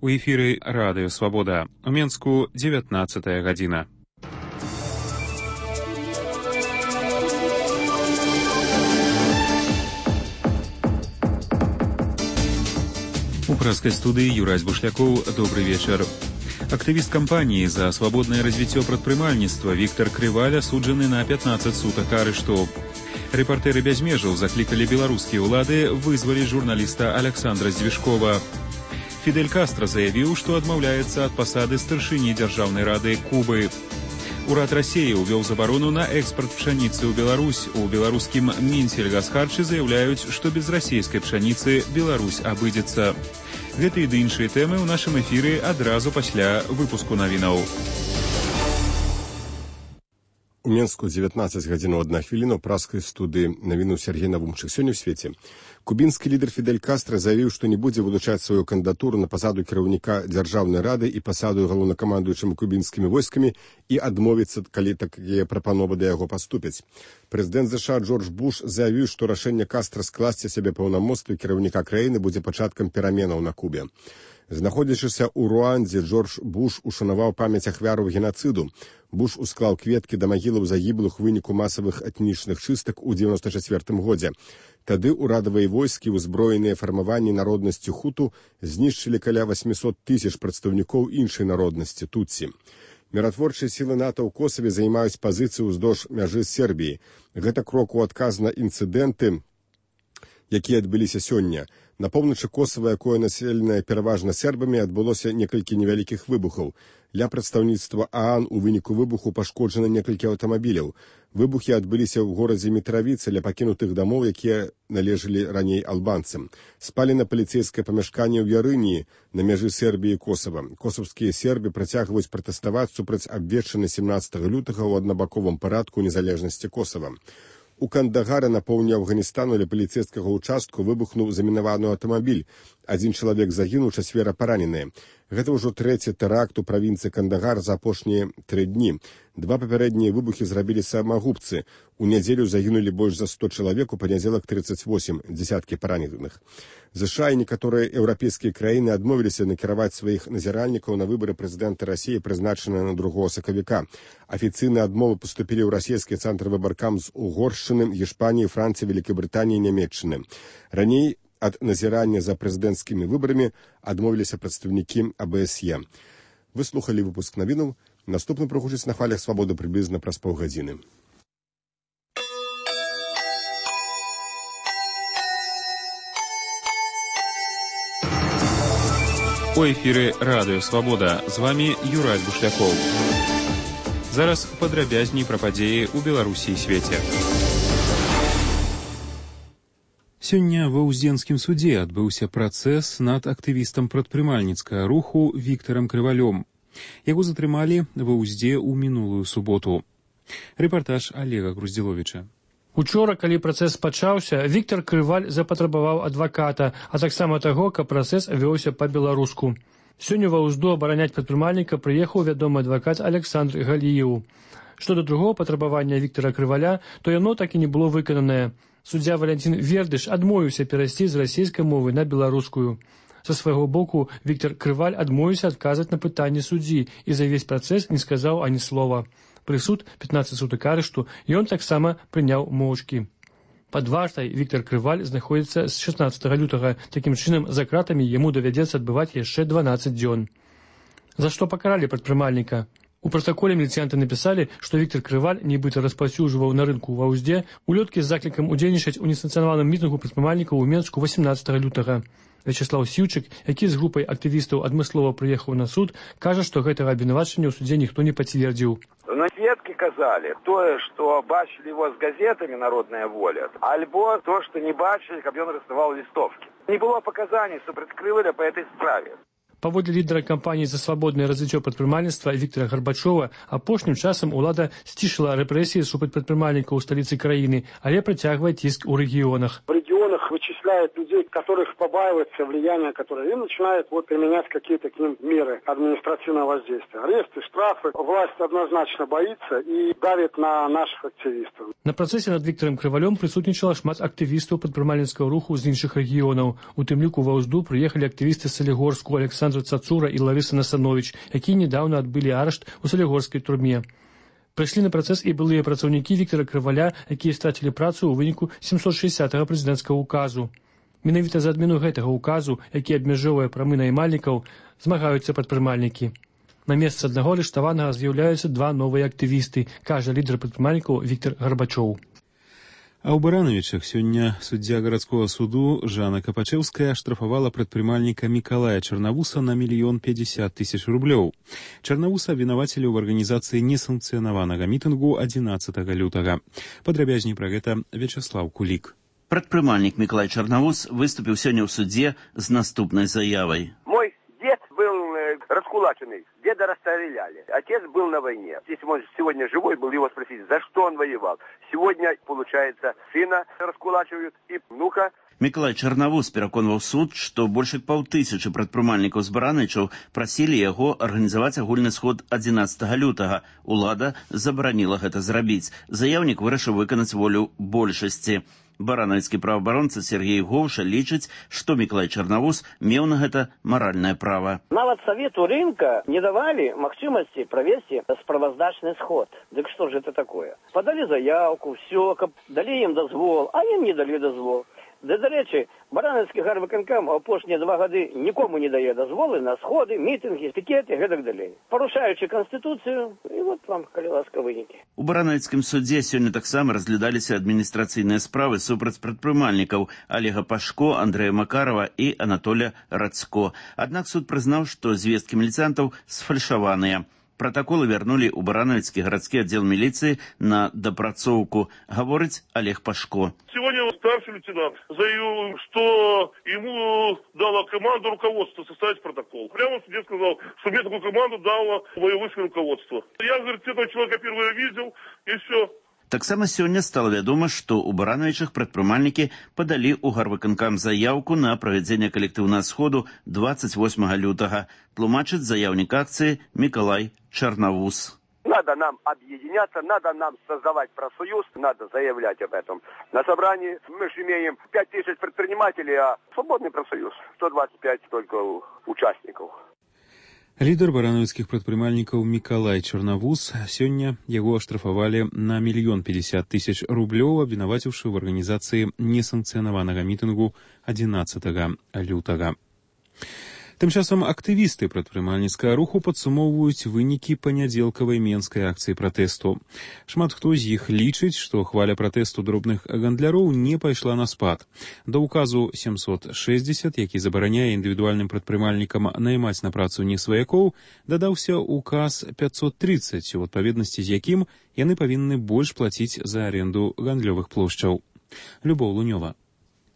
У эфіры Радыё Свабода. У Менску 19 гадзіна. У пражской студии Юрась Бушляков. Добрый вечер. Активист кампании за свободное развитие предпринимательства Виктор Крываль осуджены на 15 суток арышту. Репортеры без межаў закликали белорусские улады вызволить журналиста Александра Звешкова. Фидель Кастро заявил, что отмаўляется от посады старшыні Дзяржаўнай рады Кубы. Урад России увел заборону на экспорт пшеницы в Беларусь. У белорусским Минсельгасхарчы заявляют, что без российской пшеницы Беларусь обыдется. Гэты і іншыя тэмы ў нашым эфіры адразу пасля выпуску навінаў. У Менску 19 гадзін 1 хвіліна ў пражскай студыі навіну Сергей Навумчык. Сёння ў свеце. Кубінскі лідар Фідель Кастро заявіў, што не будзе вылучаць сваю кандыдатуру на пасаду кіраўніка Дзяржаўнай рады і пасаду галоўнакамандуючым кубінскімі войскамі і адмовіцца, калі такія прапановы да яго паступяць. Прэзідэнт США Джордж Буш заявіў, што рашэнне Кастро скласці сябе паўнамоцтвы кіраўніка краіны будзе пачаткам пераменаў на Кубе. Знаходзячыся ў Руандзе, Джордж Буш ушанаваў памяць ахвяраў генацыду. Буш усклаў кветкі да магілаў загіблых у выніку масавых этнічных чыстак у 1994 годзе. Тады ўрадавыя войскі, узброеныя фармаванні народнасці хуту, знішчылі каля 800 тысяч прадстаўнікоў іншай народнасці тутсі. Міратворчыя сілы НАТО ў Косаве займаюць пазіцыі ўздоўж мяжы з Сербіяй. Гэта крок у адказ на інцыдэнты, якія адбыліся сёння. На поўначы Косава, якое населенае пераважна сербамі, адбылося некалькі невялікіх выбухаў. Для прадстаўніцтва ААН у выніку выбуху пашкоджана некалькі аўтамабіляў. Выбухі адбыліся ў горадзе Мітравіца ля пакінутых дамоў, якія належалі раней албанцам. Спалена паліцэйскае памяшканне ў Ярыніі на мяжы Сербіі і Косава. Косавскія сербы працягваюць пратэставаць супраць абвешчаны 17 лютага ў аднабаковым парадку незалежнасці Косава. У Кандагары на поўдні Афганістану ля паліцэйскага ўчастку выбухнуў замінаваны аўтамабіль. Адзін чалавек загінуў, 4 параненыя. Гэта ўжо трэці тэракт у правінцыі Кандагар за апошнія 3 дні. 2 папярэднія выбухі зрабілі самагубцы. У нядзелю загінулі больш за 100 чалавек, у панядзелак 38, дзесяткі параненых. ЗША і некаторыя еўрапейскія краіны адмовіліся накіраваць сваіх назіральнікаў на выбары прэзідэнта Расіі, прызначаныя на 2 сакавіка. Афіцыйныя адмовы паступілі ў расійскі цэнтр выбаркам з Угоршчыны, Іспаніі, Францыі, Вялікабрытаніі і Нямецчыны. Раней ад назірання за прэзідэнцкімі выбарамі адмовіліся прадстаўнікі АБСЕ. Вы слухалі выпуск навінаў. Наступны прагучыць на хвалях свабоды прыблізна праз паўгадзіны. У эфіры Радыё Свабода. З вами Юрась Бушляков. Зараз падрабязней пра падзеі ў Беларусі і свеце. Сёння ва ўздзенскім судзе адбыўся працэс над актывістам прадпрымальніцкага руху Віктарам Крывалём. Яго затрымалі ва ўздзе ў мінулую суботу. Рэпартаж Олега Груздзіловіча. Учора, калі працэс пачаўся, Віктар Крываль запатрабаваў адваката, а таксама таго, каб працэс вёўся па-беларуску. Сёння ва ўзду абараняць прадпрымальніка прыехаў вядомы адвакат Александр Галіеў. Што да другого патрабавання Віктара Крываля, то яно так і не было выкананае. Суддзя Валянцін Вердыш адмовіўся перайсці з расійскай мовы на беларускую. Са свайго боку Віктар Крываль адмовіўся адказаць на пытанні суддзі і за ўвесь працэс не сказаў ані слова. Прысуд 15 сутак арышту ён таксама прыняў моўчкі. Пад вартай Віктар Крываль знаходзіцца з 16 лютага. Такім чынам, за кратамі яму давядзецца адбываць яшчэ 12 дзён. За што пакаралі прадпрымальніка? У пратаколе міліцыянты напісалі, што Віктар Крываль нібыта распаўсюджваў на рынку ва ўздзе улёткі з заклікам удзельнічаць у несанкцыянаваным мітынгу прадпрымальнікаў у Менску 18 лютага. Вячеслаў Сіўчык, які з групай актывістаў адмыслова прыехаў на суд, кажа, што гэтага абвінавачання ў судзе ніхто не пацвердзіў. На сведкі казалі тое, што бачылі его з газетамі «Народная воля», альбо то, што не бачылі, каб ён раздаваў лістовкі. Не было паказаний супраць Крываля па этой справе. Паводле лідара кампаніі за свабоднае развіццё прадпрымальніцтва Віктара Гарбачова, апошнім часам улада сцішыла рэпрэсіі супраць прадпрымальнікаў у сталіцы краіны, але працягвае ціск у рэгіёнах. Прыйдзе регионах вычисляют людей, которых побаиваются влияния, которые и начинают применять какие-то к ним меры административного воздействия. Аресты, штрафы. Власть однозначно боится и давит на наших активистов. На працэсе над Вікторам Крывалём прысутнічала шмат актывістаў прадпрымальніцкага руху з іншых рэгіёнаў. У тым ліку ва ўзду прыехалі актывісты з Салігорску Александр Цацура і Ларыса Насанович, якія недаўна адбылі арышт у салігорскай турме. Прыйшлі на працэс і былыя працаўнікі Віктара Крываля, якія страцілі працу ў выніку 760-го прэзідэнцкага указу. Менавіта за адмену гэтага указу, які абмяжоўвае прамы наймальнікаў, змагаюцца прадпрымальнікі. На месцы аднаго арыштаванага з'яўляюцца два новыя актывісты, кажа лідар прадпрымальнікаў Віктар Гарбачоў. А ў Барановічах сёння суддзя гарадскога суду Жанна Капачэўская аштрафавала прадпрымальніка Мікалая Чарнавуса на 1 050 000 рублёў. Чарнавуса абвінавацілі ў арганізацыі несанкцыянаванага мітынгу 11 лютага. Падрабязней пра гэта Вячаслаў Кулік. Прадпрымальнік Мікалай Чарнавус выступіў сёння ў судзе з наступнай заявай. Мой дед был раскулаченный, деда расстреляли. Отец был на войне. Если он сегодня живой был, его спросить, за что он воевал. Сегодня, получается, сына раскулачивают и внука. Мікалай Чарнавус пераконваў суд, што больш як 500 прадпрымальнікаў з Баранавічаў прасілі яго арганізаваць агульны сход 11 лютага. Улада забараніла гэта зрабіць. Заяўнік вырашыў выканаць волю большасці. Баранавіцкі праваабаронца Сергей Гоўша лічыць, што Мікалай Чарнавус меў на гэта маральнае права. Нават Совету рынка не давалі магчымасці правесці справаздачны сход. Дык што ж это такое? Падалі заявку, все, каб далі ім дазвол, а ім не далі дазвол. Да, дарэчы, Баранавіцкі гарвыканкам апошнія 2 гады нікому не дае дазволы на сходы, мітынгі, пікеты, гэтак далей. Парушаючы Канстытуцыю, і вам, калі ласка, вынікі. У Баранавіцкім судзе сёння таксама разглядаліся адміністрацыйныя справы супраць прадпрымальнікаў Олега Пашко, Андрэя Макарова і Анатоля Рацко. Аднак суд прызнаў, што звесткі міліцыянтаў сфальшаваныя. Протоколы вярнулі ў Барановіцкі гарадскі аддзел міліцыі на дапрацоўку, гаворыць Олег Пашко. Сегодня старший лейтенант заявил, что ему дало команду руководства составить протокол. Прямо в суде сказал, что мне такую команду дало воеводское руководство. Я, говорит, этого человека первый видел, и все. Таксама сёння стала вядома, што ў Барановічах прадпрымальнікі падалі ў гарвыканкам заяўку на правядзенне калектыўнага сходу 28 лютага. Тлумачыць заяўнік акцыі Мікалай Чарнавус. Надо нам объединяться, надо нам создавать профсоюз, надо заявлять об этом. На собрании мы же имеем 5000 предпринимателей, а свободный профсоюз 125 только участников. Лідар барановіцкіх прадпрымальнікаў Мікалай Чарнавус сёння яго аштрафавалі на 1 050 000 рублёў, абвінаваціўшы ў арганізацыі несанкцыянаванага мітынгу 11 лютага. Тым часам актывісты прадпрымальніцкага руху падсумоўваюць вынікі панядзелкавай менскай акцыі пратэсту. Шмат хто з іх лічыць, што хваля пратэсту дробных гандляроў не пайшла на спад. Да ўказу 760, які забараняе індывідуальным прадпрымальнікам наймаць на працу несваякоў, дадаўся ўказ 530, у адпаведнасці з якім яны павінны больш плаціць за аренду гандлёвых плошчаў. Любоў Лунёва.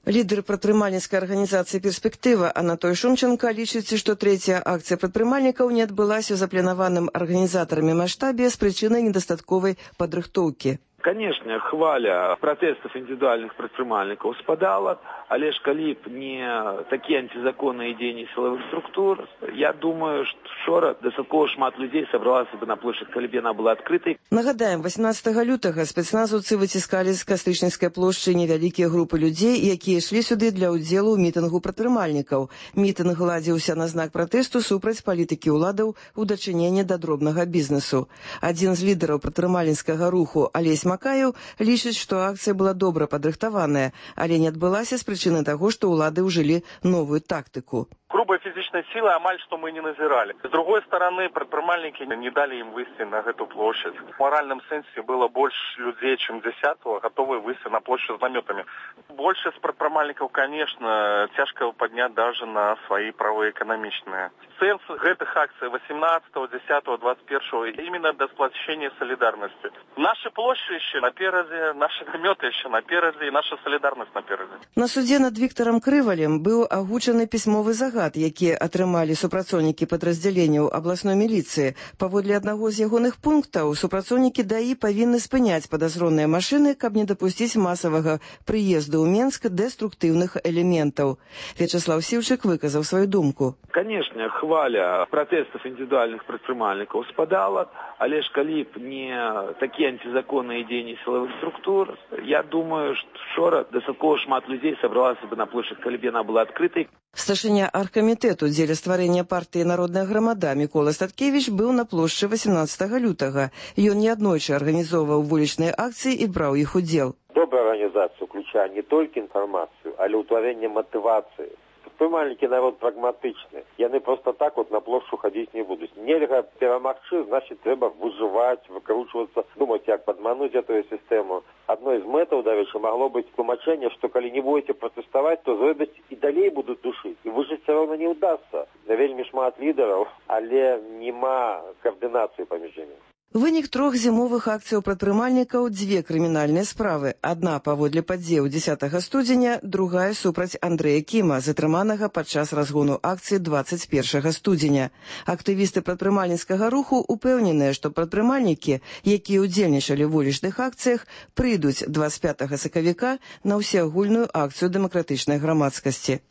Лідар прадпрымальніцкай арганізацыі «Перспектыва» Анатоль Шумченко лічыць, што трэцяя акцыя прадпрымальнікаў не адбылася ў запланаваным арганізатарамі маштабе з прычынай недастатковай падрыхтоўкі. Конечно, хваля протестов индивидуальных предпринимальников спадала, але ж калі б не такие антизаконные дзеянні силовых структур, я думаю, что вчора дастаткова шмат людей собралась бы на площадь, калі б яна была открытой. Нагадаем, 18 лютага спецназаўцы выціскалі з Кастрычніцкай плошчы невялікія групы людзей, якія ішлі сюды для ўдзелу ў мітынгу прадпрымальнікаў. Мітынг ладзіўся на знак пратэсту супраць палітыкі ўладаў у дачыненні да дробнага бізнесу. Адзін з лідараў прадпрымальніцкага руху Алесь Макаеў лічыць, што акцыя была добра падрыхтаваная, але не адбылася з прычыны таго, што ўлады ўжылі новую тактыку. Грубой физической силы амаль что мы не назирали. С другой стороны, предпринимальники не дали им выйти на эту площадь. В моральном сенсе было больше людей, чем 10-го, готовы выйти на площадь с наметами. Больше с предпринимальников, конечно, тяжко поднять даже на свои права экономичные. Сенс этих акций 18-го, 10-го, 21-го именно до сплочения солидарности. Наши площади еще напереди, наши наметы еще напереди, и наша солидарность напереди. На суде над Віктором Крывалем быў агучаны пісьмовы загад, які атрымалі супрацоўнікі падраздзяленняў абласной міліцыі. Паводле аднаго з ягоных пунктаў, супрацоўнікі ДАІ павінны спыняць падазроныя машыны, каб не дапусціць масавага прыезду ў Менск дэструктыўных элементаў. Вячеслав Сіўчык выказаў сваю думку. Конечно, хваля протестов индивидуальных предпринимальников спадала, але ж калі б не такие антизаконные дзеянні силовых структур, я думаю, что вчора дастаткова шмат людей собралась бы на площадь, калі б яна была открытой. Старшыня аргкамітэту дзеля стварэння партыі «Народная грамада» Мікола Статкевіч быў на плошчы 18 лютага. Ён неаднойчы арганізоўваў вулічныя акцыі і браў іх удзел. Добрая арганізацыя ўключае не толькі інфармацыю, але ўтварэнне матывацыі. Прадпрымальнікі народ прагматычны. Яны проста так на плошчу хадзіць не будуць. Нельга перамагчы, значит, трэба выжываць, выкручвацца, думаць, як падмануць эту сістэму. Адной з мэтаў, дарэчы, магло быць тлумачэнне, што калі не будете пратэставаць, то зробяць і далей будуць душыць. І выжыць все равно не ўдасца. Вельмі шмат лідараў, але няма каардынацыі паміж імі. Вынік 3 зімовых акцыяў прадпрымальнікаў 2 крымінальныя справы. Адна паводле падзеяў 10 студзеня, другая супраць Андрэя Кіма, затрыманага падчас разгону акцыі 21 студзеня. Актывісты прадпрымальніцкага руху упэўненыя, што прадпрымальнікі, якія ўдзельнічалі ў вулічных акцыях, прыйдуць 25 сакавіка на ўсеагульную акцыю дэмакратычнай грамадскасці.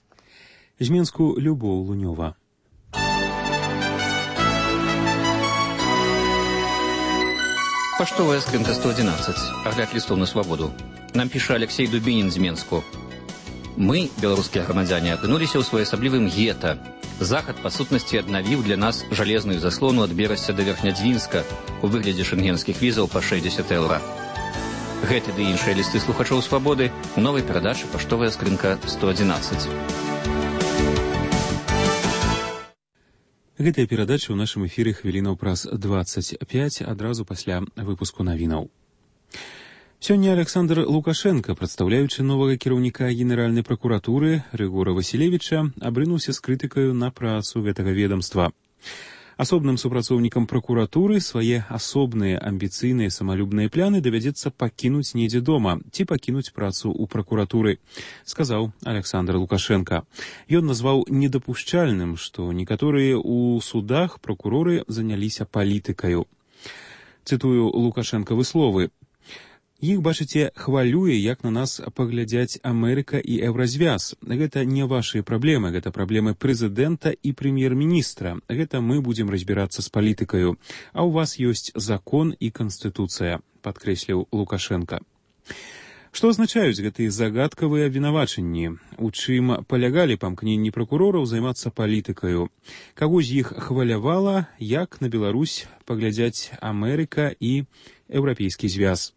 З Мінску Любоў Лунёва. Паштовая скринка 111. Огляд листов на свободу. Нам піша Алексей Дубінін з Менску. Мы, беларускія грамадзяне, апынуліся ў своеасаблівым гета. Захад, па сутнасці, аднавіў для нас жалезную заслону ад Берасця да Верхнядзвінска у выглядзе шэнгенскіх візаў па 60 €. Гэты ды іншыя лісты слухачоў свабоды у новай перадачы «Паштовая скринка 111». Гэтая перадача ў нашым эфіры хвілінаў праз 25, адразу пасля выпуску навінаў. Сёння Александр Лукашенко, прадстаўляючы новага кіраўніка Генеральнай пракуратуры Рыгора Васілевіча, абрынуўся з крытыкаю на працу гэтага ведомства. Асобным супрацоўнікам пракуратуры свае асобныя амбіцыйныя самалюбныя пляны давядзецца пакінуць недзе дома ці пакінуць працу ў пракуратуры, сказаў Александр Лукашенко. Ён назваў недапушчальным, што некаторыя ў судах пракуроры заняліся палітыкаю. Цытую Лукашэнкавы словы. Іх, бачыце, хвалюе, як на нас паглядзяць Амерыка і Еўразвяз. Гэта не вашыя праблемы, гэта праблемы прэзідэнта і прэм'ер-міністра. Гэта мы будзем разбірацца з палітыкаю. А ў вас ёсць закон і канстытуцыя, падкрэсліў Лукашенко. Што азначаюць гэтыя загадкавыя абвінавачанні? У чым палягалі памкненні пракурораў займацца палітыкаю? Каго з іх хвалявала, як на Беларусь паглядзяць Амерыка і Еўрапейскі звяз?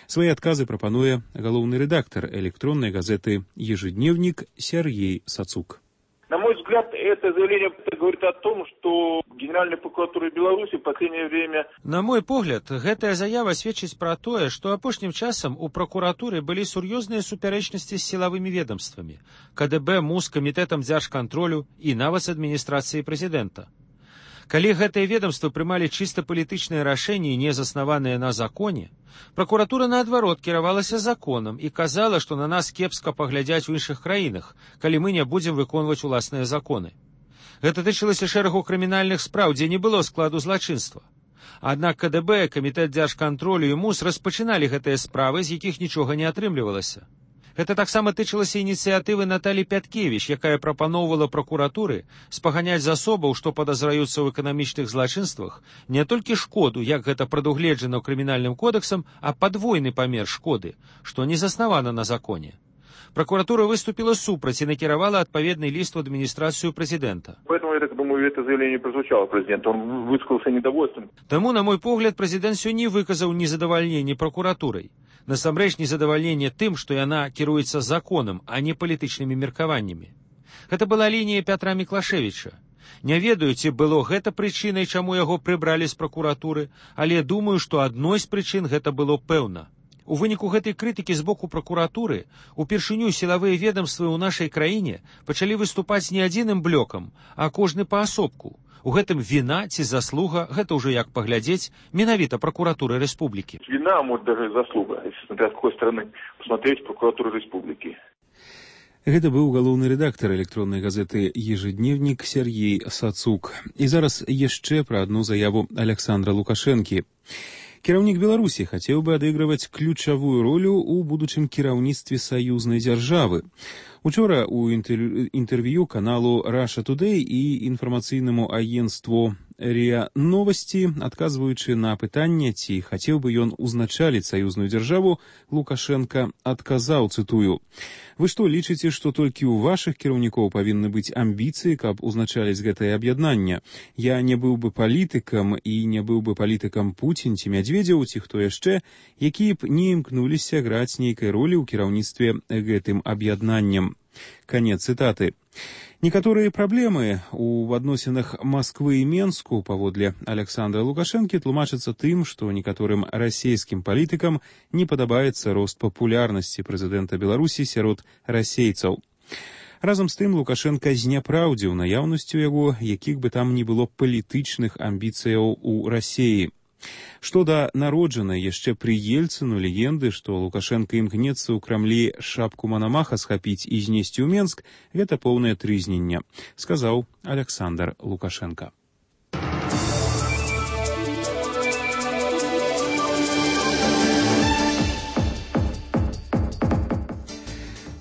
Свои адказы прапануе галоўны рэдактор электронной газеты «Ежедневник» Сергей Сацук. На мой взгляд, это заявление говорит о том, что Генеральная прокуратура Беларуси в последнее время... На мой погляд, гэтая заява сведчыць пра тое, што апошнім часам у пракуратуры былі сур'ёзныя супярэчнасці з сілавымі ведомствамі, КДБ, МУС, камітэтам дзяржкантролю і нават з адміністрацыяй прэзідэнта. Калі гэтыя ведомствы прымалі чыста палітычныя рашэнні, не заснаваныя на законе, пракуратура, наадварот, кіравалася законам і казала, што на нас кепска паглядзяць у іншых краінах, калі мы не будзем выконваць уласныя законы. Гэта тычылася шэрагу крымінальных спраў, дзе не было складу злачынства. Аднак КДБ, камітэт дзяржкантролю і МУС распачыналі гэтыя справы, з якіх нічога не атрымлівалася. Гэта таксама тычылася ініцыятывы Наталі Пяткевіч, якая прапаноўвала пракуратуры спаганяць з асобаў, што падазраюцца ў эканамічных злачынствах, не толькі шкоду, як гэта прадугледжана крымінальным кодэксам, а падвойны памер шкоды, што не заснавана на законе. Прокуратура выступила супраць и накіравала отповедный лист в администрацию президента. Поэтому, я так думаю, это заявление прозвучало президента. Он высказался недовольством. Тому, на мой погляд, президент сёння выказаў незадавальненне прокуратурай. Насамрэч незадавальненне тым, што яна кіруецца законам, а не палітычнымі меркаваннямі. Гэта была лінія Пятра Міклашевіча. Не ведаю, ці было гэта прычынай, чаму яго прыбралі з пракуратуры, але думаю, што адной з прычын гэта было пэўна. У выніку гэтай крытыкі з боку пракуратуры упершыню сілавыя ведомствы ў нашай краіне пачалі выступаць не адзіным блокам, а кожны паасобку. У гэтым вина ці заслуга, гэта ўжо як паглядзець, менавіта прокуратуры республики. Вина, может, даже заслуга, если смотря с какой стороны посмотреть прокуратуру республики. Гэта быў галоўны рэдактар электроннай газеты «Ежедневник» Сергей Сацук. І зараз яшчэ пра адну заяву Александра Лукашэнкі. Кіраўнік Беларусі хацеў бы адыгрываць ключавую ролю ў будучым кіраўніцтве саюзнай дзяржавы. Учора у інтэрв'ю каналу Russia Today і інфармацыйнаму агенцтву РИА Новости, адказваючы на пытанне, ці хацеў бы ён узначаліць саюзную дзяржаву, Лукашенко адказаў, цытую: «Вы што, лічыце, што толькі ў вашых кіраўнікоў павінны быць амбіцыі, каб узначаліць гэтае аб'яднанне? Я не быў бы палітыкам, і не быў бы палітыкам Пуцін ці Мядзведзеў, ці хто яшчэ, якія б не імкнуліся граць нейкай ролі ў кіраўніцтве гэтым аб'яднаннем». Конец цитаты. Некаторыя праблемы ў адносінах Москвы і Менску паводле Александра Лукашэнкі тлумачацца тым, што некаторым расійскім палітыкам не падабаецца рост папулярнасці прэзідэнта Беларусі сярод расейцаў. Разам з тым Лукашенка зняпраўдзіў наяўнасцю яго якіх бы там ні было палітычных амбіцыяў у Расіі. Што да народжанай яшчэ пры Ельцыну легенды, што Лукашенко імкнецца ў Крамлі шапку Манамаха схапіць і знесці ў Менск, гэта поўнае трызненне, сказаў Александр Лукашенко.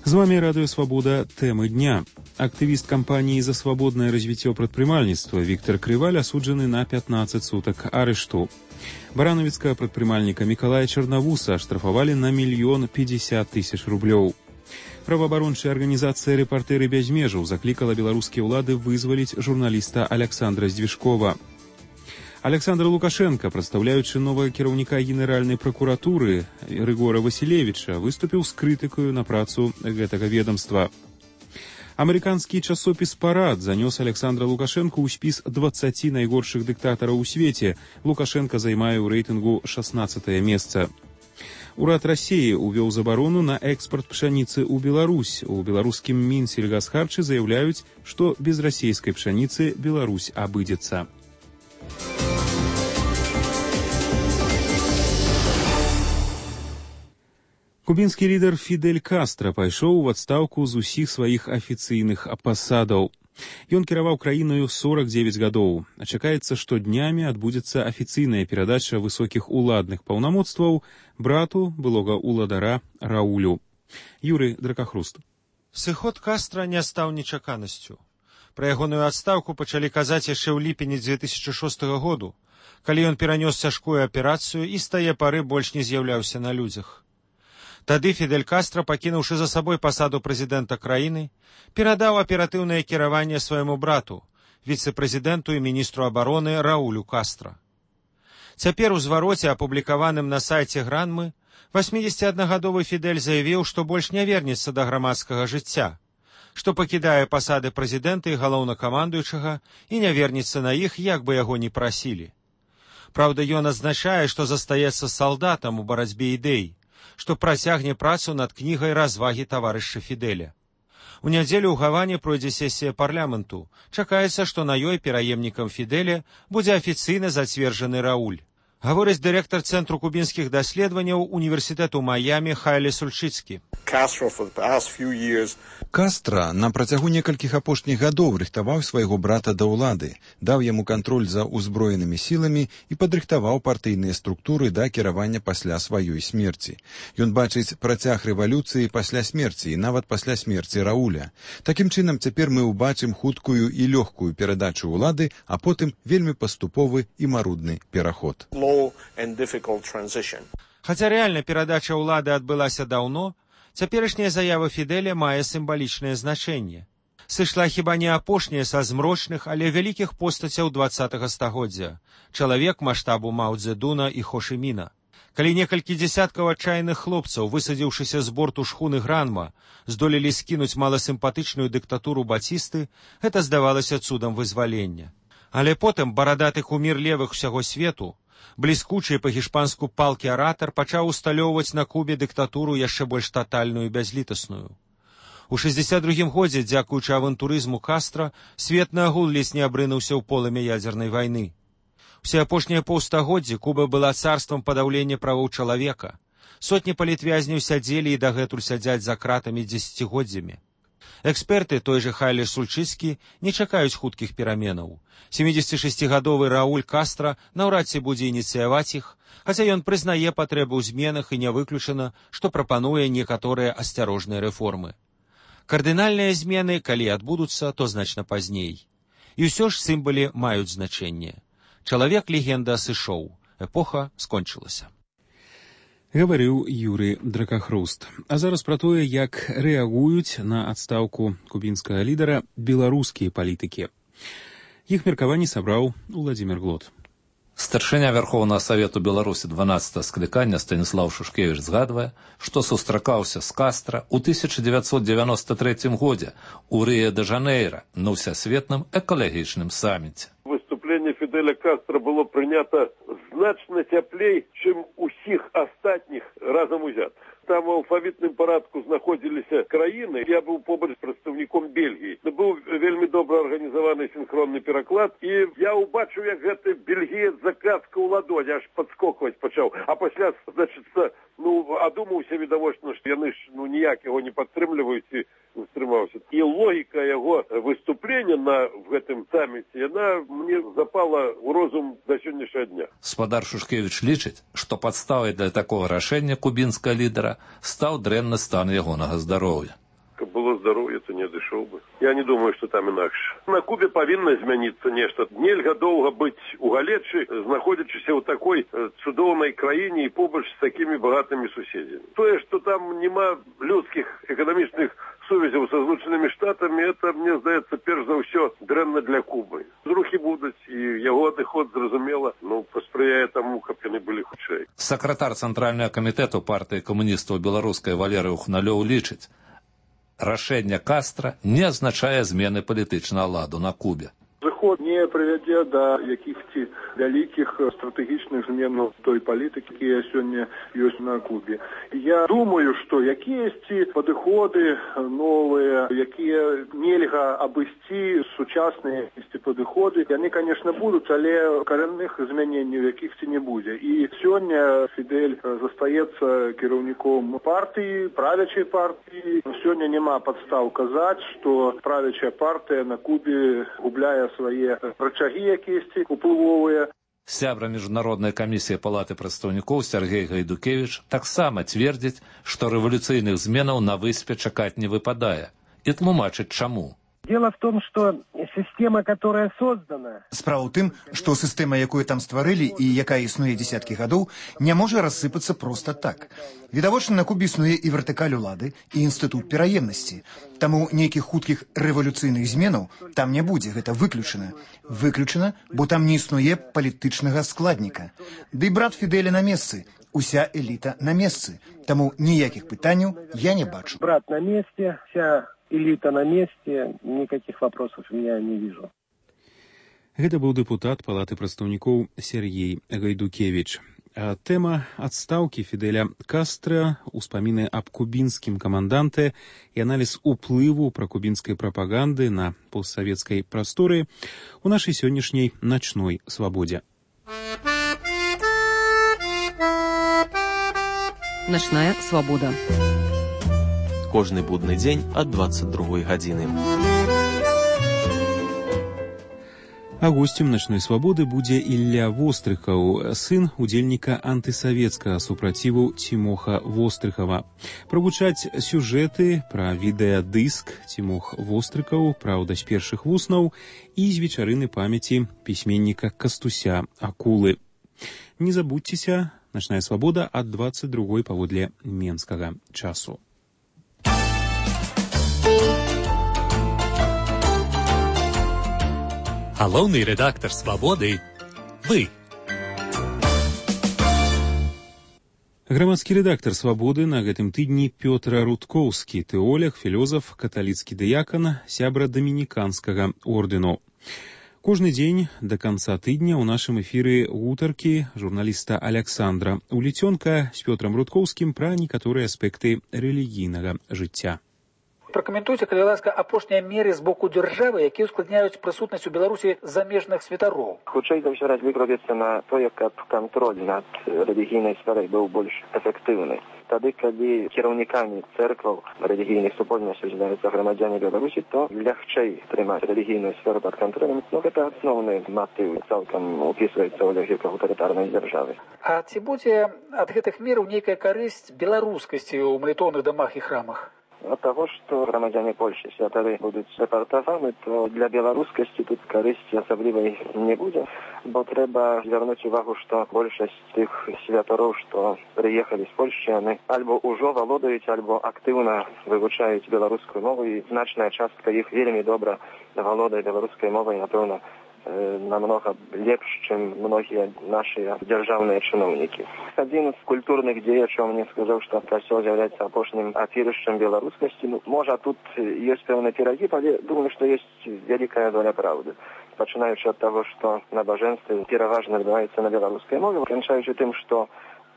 З вами Радио Свобода. Темы дня. Активист компании «За свободное развитие предпринимательства» Виктор Криваль осуджены на 15 суток арешту. Барановицкого предпринимальника Миколая Черновуса оштрафовали на 1 050 000 рублей. Правоабарончая организация «Репортеры без межаў» закликала белорусские улады вызволить журналиста Александра Здвижкова. Александр Лукашенко, представляючы нового кіраўніка Генеральной прокуратуры Рыгора Василевича, выступил с критикою на працу гэтага ведомства. Американскі часопіс «Парад» занёс Александра Лукашенко ў спіс 20 найгоршых дыктатараў у свеце. Лукашенко займае ў рэйтынгу 16-е месца. Урад России увёў забарону на экспорт пшаніцы ў Беларусь. У беларускім Мінсельгасхарчы заяўляюць, што без расійскай пшаніцы Беларусь абыдзецца. Кубінскі лідар Фідель Кастра пайшоў у адстаўку з усіх сваіх афіцыйных пасадаў. Ён кіраваў краінаю 49 гадоў. Чакаецца, што днямі адбудзецца афіцыйная перадача высокіх уладных паўнамоцтваў брату былога уладара Раулю. Юрый Дракахруст. Сыход Кастра не стаў нечаканасцю. Пра ягоную адстаўку пачалі казаць яшчэ ў ліпені 2006 году, калі ён перанёс цяжкую аперацыю і з тае пары больш не з'яўляўся на людзях. Тады Фідель Кастра, пакінуўшы за сабой пасаду прэзідэнта краіны, перадаў аператыўнае кіраванне свайму брату, віцэ-прэзідэнту і міністру абароны Раулю Кастра. Цяпер у звароце, апублікаваным на сайце Гранмы, 81-гадовы Фідель заявіў, што больш не вернецца да грамадскага жыцця, што пакідае пасады прэзідэнта і галоўнакамандуючага і не вернецца на іх, як бы яго ні прасілі. Праўда, ён адзначае, што застаецца салдатам у барацьбе ідэй, што працягне працу над кнігай развагі таварыша Фідэля. У нядзелю ў Гаване пройдзе сесія парламенту. Чакаецца, што на ёй пераемнікам Фідэля будзе афіцыйна зацверджаны Рауль. Гаворыць дырэктар Цэнтру кубінскіх даследаванняў універсітэту Майамі Хайле Сульчыцкі. Кастра на працягу некалькіх апошніх гадоў рыхтаваў свайго брата да ўлады, даў яму кантроль за ўзброенымі сіламі і падрыхтаваў партыйныя структуры да кіравання пасля сваёй смерці. Ён бачыць працяг рэвалюцыі пасля смерці і нават пасля смерці Рауля. Такім чынам, цяпер мы ўбачым хуткую і лёгкую перадачу ўлады, а потым вельмі паступовы і марудны пераход. Хаця рэальна перадача ўлады адбылася даўно, цяперашняя заява Фідэля мае сімвалічнае значэнне. Сышла хіба не апошняя са змрочных, але вялікіх постацяў 20-го стагоддзя, чалавек маштабу Мао Цзэдуна і Хо Чі Міна. Калі некалькі дзесяткаў адчайных хлопцаў, высадзіўшыся з борту шхуны Гранма, здолелі скінуць маласімпатычную дыктатуру Бацісты, гэта здавалася цудам вызвалення. Але потым барадаты кумір левых усяго свету, бліскучы па-гішпанску палкі-аратар, пачаў усталёўваць на Кубе дыктатуру яшчэ больш татальную і бязлітасную. У 62-м годзе, дзякуючы авантурызму Кастра, свет нагул ледзь не абрынуўся ў полымя ядзернай вайны. Усе апошнія паўстагоддзі Куба была царствам падаўлення правоў чалавека. Сотні палітвязняў сядзелі і дагэтуль сядзяць за кратамі дзесяцігоддзямі. Эксперты, той же Хайле Сульчыцкі, не чакаюць хуткіх пераменаў. 76-гадовы Рауль Кастра наўрад ці будзе ініцыяваць іх, хаця ён прызнае патрэбу ў зменах і не выключана, што прапануе некаторыя асцярожныя рэформы. Кардынальныя змены, калі адбудуцца, то значна пазней. І ўсё ж сімвалы маюць значэнне. Чалавек-легенда сышоў. Эпоха скончылася. Гаварыў Юрый Дракахруст. А зараз пра тое, як рэагуюць на адстаўку кубінскага лідара беларускія палітыкі. Іх меркаванне сабраў Уладзімір Глот. Старшыня Вярхоўнага Савету Беларусі 12 склікання Станіслаў Шушкевіч згадвае, што сустракаўся з Кастра ў 1993 годзе ў Рыё-де-Жанейра на ўсесветным экалагічным саміце. Выступление Фиделя Кастро было принято значно теплей, чем усіх астатніх разом узят. Там в алфавітным парадку знаходзіліся краіны. Я быў побач з прадстаўніком Бельгіі. Быў вельмі добра арганізаваны сінхронны пераклад, і я ўбачыў, як гэты бельгіец закацкаў ладонь, аж падскокваць пачаў. А пасля, значыцца, адумаўся відавочна, што яны ж ніяк яго не падтрымліваюць і стрымаўся. І логіка яго выступлення в гэтым саміце, яна мне запала ў розум да сённяшняга дня. Спадар Шушкевіч лічыць, што падставай для такога рашэння кубінскага лідара стаў дрэнны стан ягонага здароўя. Каб было здароўе, то не адышоў бы. Я не думаю, што там інакш. На Кубе павінна змяніцца нешта. Нельга доўга быць у галечы, знаходзячыся ў такой цудоўнай краіне і побач з такімі багатымі суседзямі. Тое, што там няма людскіх эканамічных сувязяў са Злучанымі Штатамі, это, мне здаецца, перш за ўсё дрэнна для Кубы. Зрухі будуць, і яго адыход, зразумела, паспрыяе таму, каб яны былі хутчэй. Сакратар Цэнтральнага камітэту партыі камуністаў беларускай Валерый Ухналёў лічыць, рашэнне Кастра не азначае змены палітычнага ладу на Кубе. Заход не прывядзе да якіхсьці вялікіх стратэгічных зменаў той палітыкі, якія сёння ёсць на Кубе. Я думаю, што якіясьці падыходы новыя, якія нельга абысці, сучасныя якіясьці падыходы, яны, конечно, будуць, але карэнных змяненняў якіхсьці не будзе. І сёння Фідель застаецца кіраўніком партыі, правячай партыі. Сёння няма падстаў казаць, што правячая партыя на Кубе губляе свае рычагі якісьці уплывовыя. Сябра міжнароднай камісіі Палаты прадстаўнікоў Сергей Гайдукевіч таксама цвердзіць, што рэвалюцыйных зменаў на выспе чакаць не выпадае. І тлумачыць чаму. Дело в том, что система, которая создана... Справа ў тым, што сістэма, якую там стварылі і якая існуе дзесяткі гадоў, не можа рассыпацца проста так. Відавочна, на Кубе існуе і вертыкаль улады, і інстытут пераемнасці. Таму нейкіх хуткіх рэвалюцыйных зменаў там не будзе, гэта выключана. Выключана, бо там не існуе палітычнага складніка. Ды і брат Фідэля на месцы, уся эліта на месцы. Таму ніякіх пытанняў я не бачу. Брат на месте, вся элита на месте, никаких вопросов я не вижу. Гэта быў дэпутат Палаты прадстаўнікоў Сергей Гайдукевіч. Тэма адстаўкі Фідэля Кастра, успаміны аб кубінскім каманданте і аналіз уплыву пракубінскай прапаганды на постсавецкай прасторы у нашай сённяшняй начной свабодзе. Начная свабода. Кожны будны дзень ад 22 гадзіны. А госцем начной свабоды будзе Ілля Вострыхаў, сын удзельніка антысавецкага супраціву Цімоха Вострыхава. Прагучаць сюжэты пра відэадыск Цімох Вострыкаў, праўда з першых вуснаў і з вечарыны памяці пісьменніка Кастуся Акулы. Не забудзьцеся, начная свабода ад 22 паводле менскага часу. Галоўны рэдактар «Свабоды» – вы. Грамадскі рэдактар «Свабоды» на гэтым тыдні Пётр Рудкоўскі, тэолог, філозаф, каталіцкі дыякан, сябра дамініканскага ордэну. Кожны дзень да канца тыдня ў нашым эфіры гутаркі журналіста Аляксандра Уліцёнка з Пётрам Рудкоўскім пра некаторыя аспекты рэлігійнага жыцця. Пракаментуйце, калі ласка, апошнія меры з боку дзяржавы, якія ускладняюць прысутнасць у Беларусі замежных святароў. Хутчэй за ўсё разлік робіцца на тое, каб кантроль над рэлігійнай сферай быў больш эфектыўны. тады, калі кіраўнікамі церкваў рэлігійных супольнасцей з'яўляюцца грамадзяне Беларусі, то лягчэй трымаць рэлігійную сферу пад кантролем. Гэта асноўны матыў, цалкам упісваецца ў логіку аўтарытарнай дзяржавы. А ці будзе ад гэтых мераў нейкая карысць беларускасці ў малітоўных дамах і храмах? От того, что громадяне Польши, святары будут депортованы, то для белорусскости тут корысти особливой не будет, бо треба звернуть увагу, что большасць тых святаров, что приехали с Польши, они альбо уже володают, альбо активно вывучают белорусскую мову, и значная частка их вельми добра володает белорусской мовой, напевно, намного лепш, чым многие наши державные чиновники. Один из культурных деячаў мне сказал, что костел является апошнім апірышчам белорусскости. Ну, может, тут есть певные пироги, але думаю, что есть великая доля правды. Пачынаючы от того, что набажэнствы пераважна адбываецца на беларускай мове, канчаючы тым, что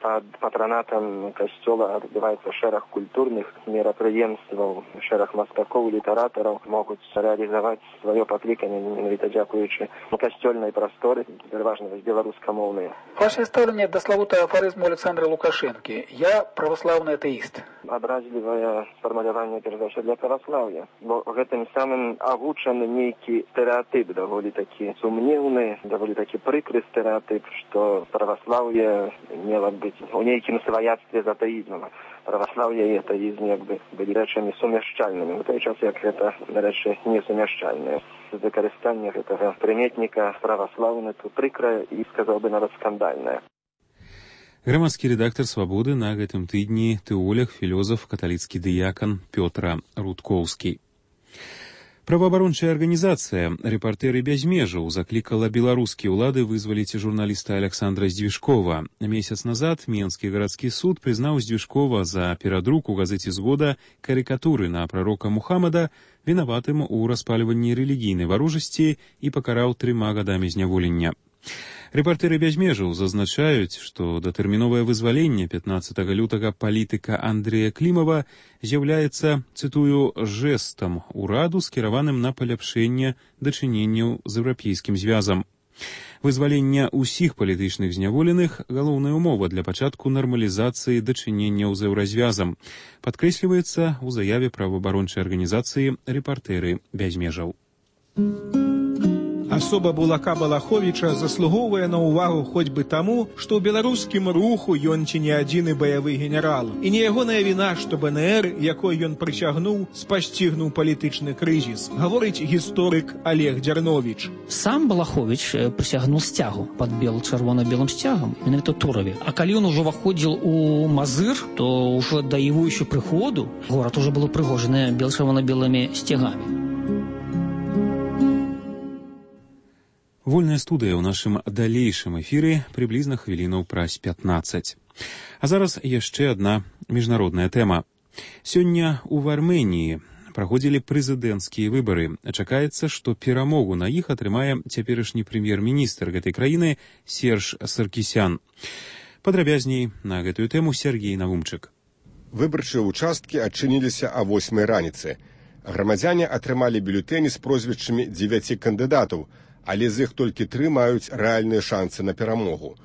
под патронатом костела отбывается шерах культурных мерапрыемстваў, шерах мастакоў, літаратараў могуць реализовать свое покликанне менавіта дзякуючы касцёльнай прасторы, пераважна беларускамоўныя. Ваше ставленне да славутага афарызму Александра Лукашэнкі «Я православны атэіст». Абразлівае фармуляванне перш за ўсё для праваслаўя, бо гэтым самым агучаны нейкі стэрэатып, даволі такі сумнеўны, даволі такі прыкры стэрэатып, што праваслаўе мела быць у нейкім сваяцтве з атэізмам. Праваслаўе і атэізм як бы былі рэчамі сумяшчальнымі. У той час, як гэта, рэчы, не сумяшчальныя. Выкарыстанне гэтага прыметніка праваслаўны тут прыкрае і, сказаў бы, нават скандальнае. Грамадскі рэдактар «Свабоды» на гэтым тыдні тэолог, філёзаф, каталіцкі дыякан Пётр Рудкоўскі. Праваабарончая арганізацыя «Рэпартэры без межаў» заклікала беларускія ўлады вызваліць журналіста Александра Здвижкова. Месяц назад Менскі гарадскі суд прызнаў Здвижкова за перадрук у газеце «Згода» карыкатуры на прарока Мухаммада вінаватым у распальванні рэлігійнай варожасці і пакараў 3 гадамі зняволення. Рэпартэры без межаў зазначаюць, што датэрміновае вызваленне 15 лютага палітыка Андрэя Клімава з'яўляецца, цытую, жэстам ураду, скіраваным на паляпшэнне дачыненняў з еўрапейскім звязам. Вызвалення ўсіх палітычных зняволеных – галоўная ўмова для пачатку нармалізацыі дачыненняў з еўразвязам, падкрэсліваецца ў заяве праваабарончай арганізацыі «Рэпартэры без межаў». Асоба Булака Балаховіча заслугоўвае на ўвагу хоць бы таму, што ў беларускім руху ён ці не адзіны баявы генерал. І не ягоная віна, што БНР, якой ён прысягнуў, спасцігнуў палітычны крызіс, гаворыць гісторык Олег Дзярновіч. Сам Балаховіч прысягнуў сцягу пад чырвона-белым сцягам, менавіта Турове. А калі ён ужо выходзіў у Мазыр, то ўжо да яго ещё прыходу горад ужо было прыгожаны чырвона-белымі сцягамі. Вольная студыя ў нашым далейшым эфіры прыблізна хвілінаў праз 15. А зараз яшчэ адна міжнародная тэма. Сёння ў Арменіі праходзілі прэзідэнцкія выбары. Чакаецца, што перамогу на іх атрымае цяперашні прэм'ер-міністр гэтай краіны Серж Саркісян. Падрабязней на гэтую тэму Сергей Навумчык. Выбарчыя ўчасткі адчыніліся а 8 раніцы. Грамадзяне атрымалі бюлетэні з прозвішчамі 9 кандыдатаў, але з іх толькі 3 маюць рэальныя шансы на перамогу.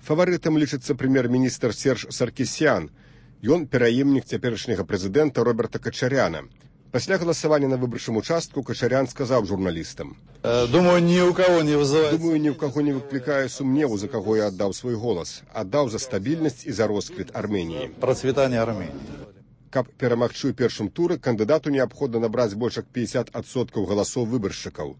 Фаварытам лічыцца прэм'ер-міністр Серж Саркісян. Ён пераемнік цяперашняга прэзідэнта Роберта Качаряна. Пасля галасавання на выбарчым участку Качарян сказаў журналістам: Думаю, ні ў каго не выклікае сумневу, за каго я аддаў свой голас. Аддаў за стабільнасць і за росквіт Арменіі. Працвітанне Арменіі. Каб перамагчы ў першым туры, кандыдату неабходна набраць больш як 50% галасоў выбаршчыкаў.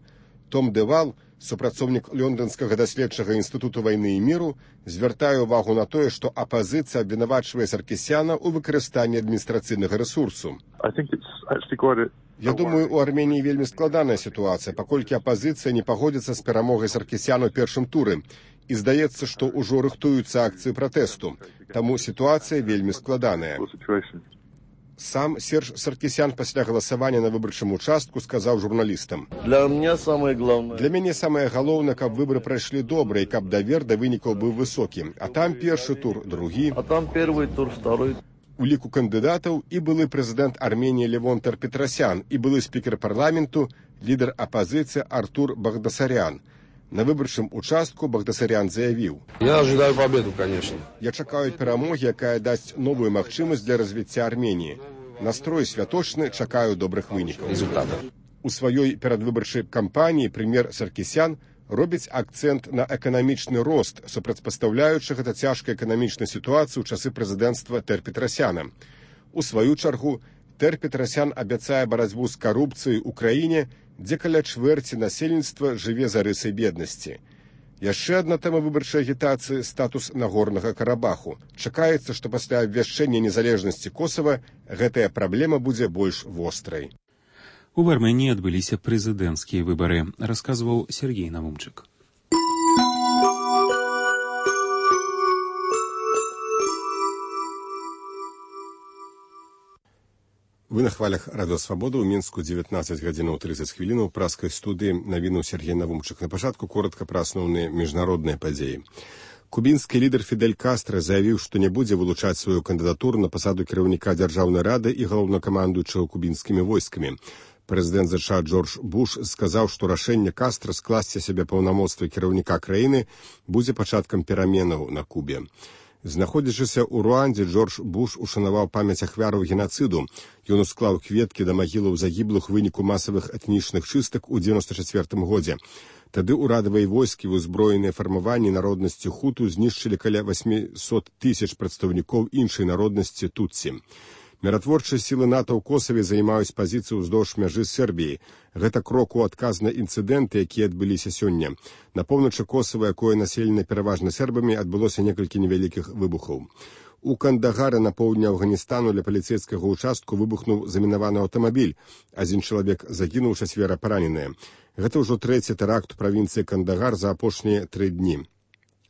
Том Девал, супрацоўнік Лёнданскага даследчага інстытуту вайны і міру, звяртае ўвагу на тое, што апазіцыя абвінавачвае Саркісяна ў выкарыстанні адміністрацыйнага рэсурсу. Я думаю, у Арменіі вельмі складаная сітуацыя, паколькі апазіцыя не пагодзіцца з перамогай Саркісяна ў першым туры. І здаецца, што ўжо рыхтуюцца акцыі пратэсту. Таму сітуацыя вельмі складаная. Сам Серж Саркісян пасля галасавання на выбарчым участку сказаў журналістам: Для мяне самае галоўнае, каб выбары прайшлі добра і каб давер да вынікаў быў высокі. А там першы тур, другі. У ліку кандыдатаў і былы прэзідэнт Арменіі Левон Тер-Петросян, і былы спікер парламенту, лідар апазіцыі Артур Багдасарян. На выбарчым участку Багдасарян заявіў: Я ожидаю победу, конечно. Я чакаю перамогі, якая дасць новую магчымасць для развіцця Арменіі. Настрой святочны, чакаю добрых вынікаў. У сваёй перадвыбарчай кампаніі прэм'ер Саркісян робіць акцэнт на эканамічны рост, супрацьпастаўляючы гэта цяжкай эканамічнай сітуацыі ў часы прэзідэнцтва Тер Петрасяна. У сваю чаргу Тер Петрасян абяцае барацьбу з карупцыяй у краіне, дзе каля чвэрці насельніцтва жыве за рысай беднасці. Яшчэ адна тэма выбарчай агітацыі – статус Нагорнага Карабаху. Чакаецца, што пасля абвяшчэння незалежнасці Косава гэтая праблема будзе больш вострай. У Арменіі адбыліся прэзідэнцкія выбары, расказваў Сергей Навумчык. Вы на хвалях Радыё Свабода. У Мінску 19 гадзінаў 30 хвілінаў. Праскай студыі навінуў Сергей Навумчык. На пачатку коротка пра асноўныя міжнародныя падзеі. Кубінскі лідар Фідель Кастра заявіў, што не будзе вылучаць сваю кандыдатуру на пасаду кіраўніка дзяржаўнай рады і галоўнакамандуючага кубінскімі войскамі. Прэзідэнт США Джордж Буш сказаў, што рашэнне Кастра скласці сябе паўнамоцтва кіраўніка краіны будзе пачаткам пераменаў на Кубе. Знаходзячыся ў Руандзе, Джордж Буш ушанаваў памяць ахвяраў генацыду. Ён усклаў кветкі да магілаў загіблых у выніку масавых этнічных чыстак у 1994 годзе. Тады ўрадавыя войскі ў узброеныя фармаванні народнасці хуту знішчылі каля 800 тысяч прадстаўнікоў іншай народнасці тутсі. Міратворчыя сілы НАТО ў Косаве займаюць пазіцыю ўздоўж мяжы з Сербіяй. Гэта крок у адказ на інцыдэнты, якія адбыліся сёння. На поўначы Косава, якое населена пераважна сербамі, адбылося некалькі невялікіх выбухаў. У Кандагары на поўдні Афганістану ля паліцэйскага ўчастку выбухнуў замінаваны аўтамабіль. Адзін чалавек загінуў, 4 параненыя. Гэта ўжо трэці тэракт у правінцыі Кандагар за апошнія 3 дні.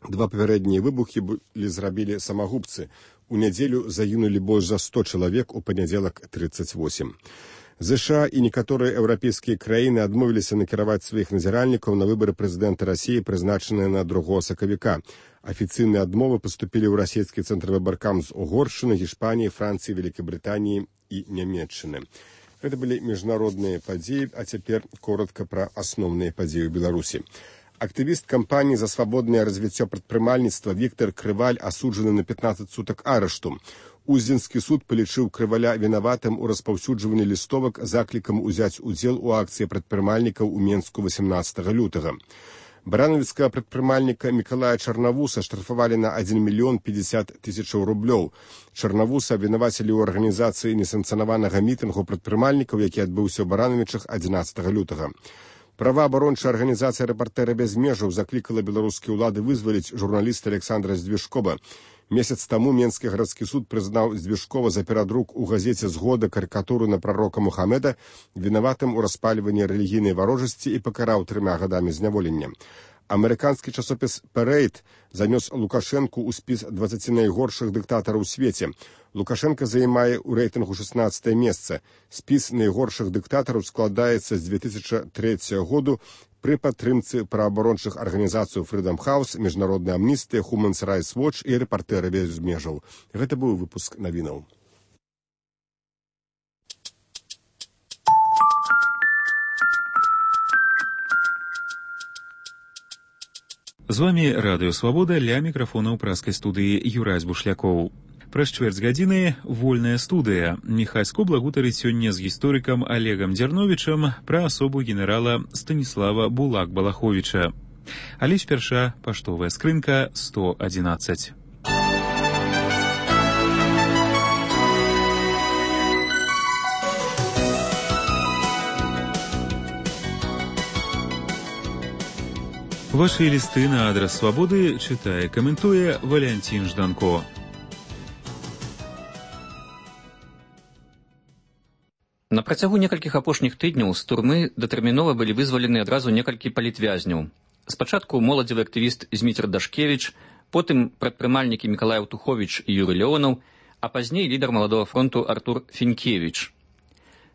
2 папярэднія выбухі былі зрабілі самагубцы. У нядзелю загінулі больш за 100 чалавек, у панядзелак 38. ЗША і некаторыя еўрапейскія краіны адмовіліся накіраваць сваіх назіральнікаў на выбары прэзідэнта Расіі, прызначаныя на 2 сакавіка. Афіцыйныя адмовы паступілі ў расійскі цэнтр выбаркам з Угоршчыны, Гішпаніі, Францыі, Вялікабрытаніі і Нямецчыны. Гэта былі міжнародныя падзеі, а цяпер коротка пра асноўныя падзеі ў Беларусі. Актывіст кампаніі за свабоднае развіццё прадпрымальніцтва Віктар Крываль асуджаны на 15 сутак арышту. Узенскі суд палічыў Крываля вінаватым у распаўсюджванні лістовак заклікам узяць удзел у акцыі прадпрымальнікаў у Менску 18 лютага. Баранавіцкага прадпрымальніка Мікалая Чарнавуса штрафавалі на 1 мільён 50 тысячаў рублёў. Чарнавуса абвінавацілі ў арганізацыі несанкцыянаванага мітынгу прадпрымальнікаў, які адбыўся ў Баранавічах 11 лютага. Праваабарончая арганізацыя «Рэпартэры без межаў» заклікала беларускія ўлады вызваліць журналіста Александра Здвижкова. Месяц таму Менскі гарадскі суд прызнаў Здвижкова за перадрук у газеце «Згода» карыкатуру на прарока Мухаммеда вінаватым у распальванні рэлігійнай варожасці і пакараў 3 гадамі зняволення. Амерыканскі часопіс «Парейд» занёс Лукашэнку ў спіс 20 найгоршых дыктатараў у свеце. Лукашенко займае ў рэйтынгу 16 месца. Спіс найгоршых дыктатараў складаецца з 2003 году пры падтрымцы праабарончых арганізацый Freedom House, Міжнародная амністыя, Human Rights Watch і «Рэпартэры без межаў». Гэта быў выпуск навінаў. З вами Радыё Свабода, ля мікрафона ў праскай студыі Юрась Бушлякоў. Праз чвэрць гадзіны вольная студыя. Міхайско благутарыць сёння з гісторыкам Олегам Дзярновічам пра асобу генерала Станіслава Булак-Балаховіча. Але спярша паштовая скрынка 111. Ваши листы на адрес Свободы читая, комментуя Валентин Жданко. На працягу некалькіх апошніх тыдняў з турмы датэрмінова былі вызвалены адразу некалькі палітвязняў. Спачатку моладзевы актывіст Зміцер Дашкевіч, потым прадпрымальнікі Мікалай Аўтуховіч і Юрый Леонаў, а пазней лідар маладога фронту Артур Фінкевіч.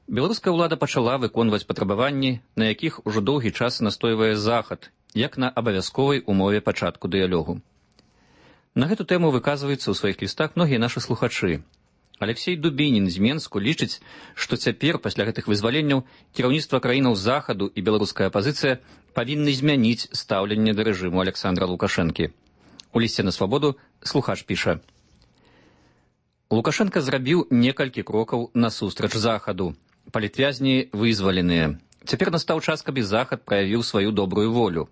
Беларуская ўлада пачала выконваць патрабаванні, на якіх ужо доўгі час настойвае Захад, як на абавязковай умове пачатку дыялогу. На гэту тэму выказваюцца ў сваіх лістах многія нашы слухачы. Алексей Дубінін з Менску лічыць, што цяпер, пасля гэтых вызваленняў, кіраўніцтва краінаў Захаду і беларуская апазіцыя павінны змяніць стаўленне да рэжыму Александра Лукашэнкі. У лісце на свабоду слухач піша: Лукашенко зрабіў некалькі крокаў насустрач Захаду. Палітвязні вызваленыя. Цяпер настаў час, каб і Захад праявіў сваю добрую волю.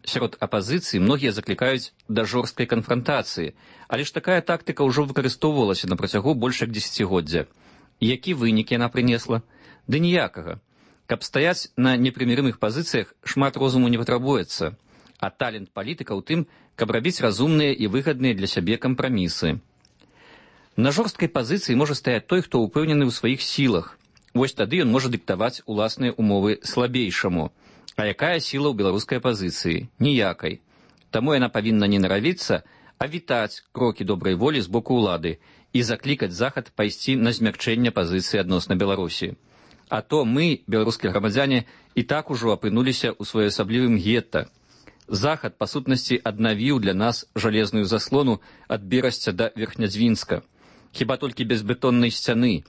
Сярод апазіцыі многія заклікаюць да жорсткай канфрантацыі, але ж такая тактыка ўжо выкарыстоўвалася на працягу больш як дзесяцігоддзя. Які вынік яна прынесла? Ды ніякага. Каб стаяць на непрымірымых пазіцыях, шмат розуму не патрабуецца, а талент палітыка ў тым, каб рабіць разумныя і выгадныя для сябе кампрамісы. На жорсткай пазіцыі можа стаяць той, хто ўпэўнены ў сваіх сілах. Вось тады ён можа дыктаваць уласныя умовы слабейшаму. А якая сіла ў беларускай апазіцыі? Ніякай. Таму яна павінна не наравіцца, а вітаць крокі добрай волі з боку ўлады і заклікаць Захад пайсці на змякчэнне пазіцыі адносна Беларусі. А то мы, беларускія грамадзяне, і так ужо апынуліся ў своеасаблівым гетта. Захад, па сутнасці, аднавіў для нас жалезную заслону ад Берасця да Верхнядзвінска. Хіба толькі без бетоннай сцяны.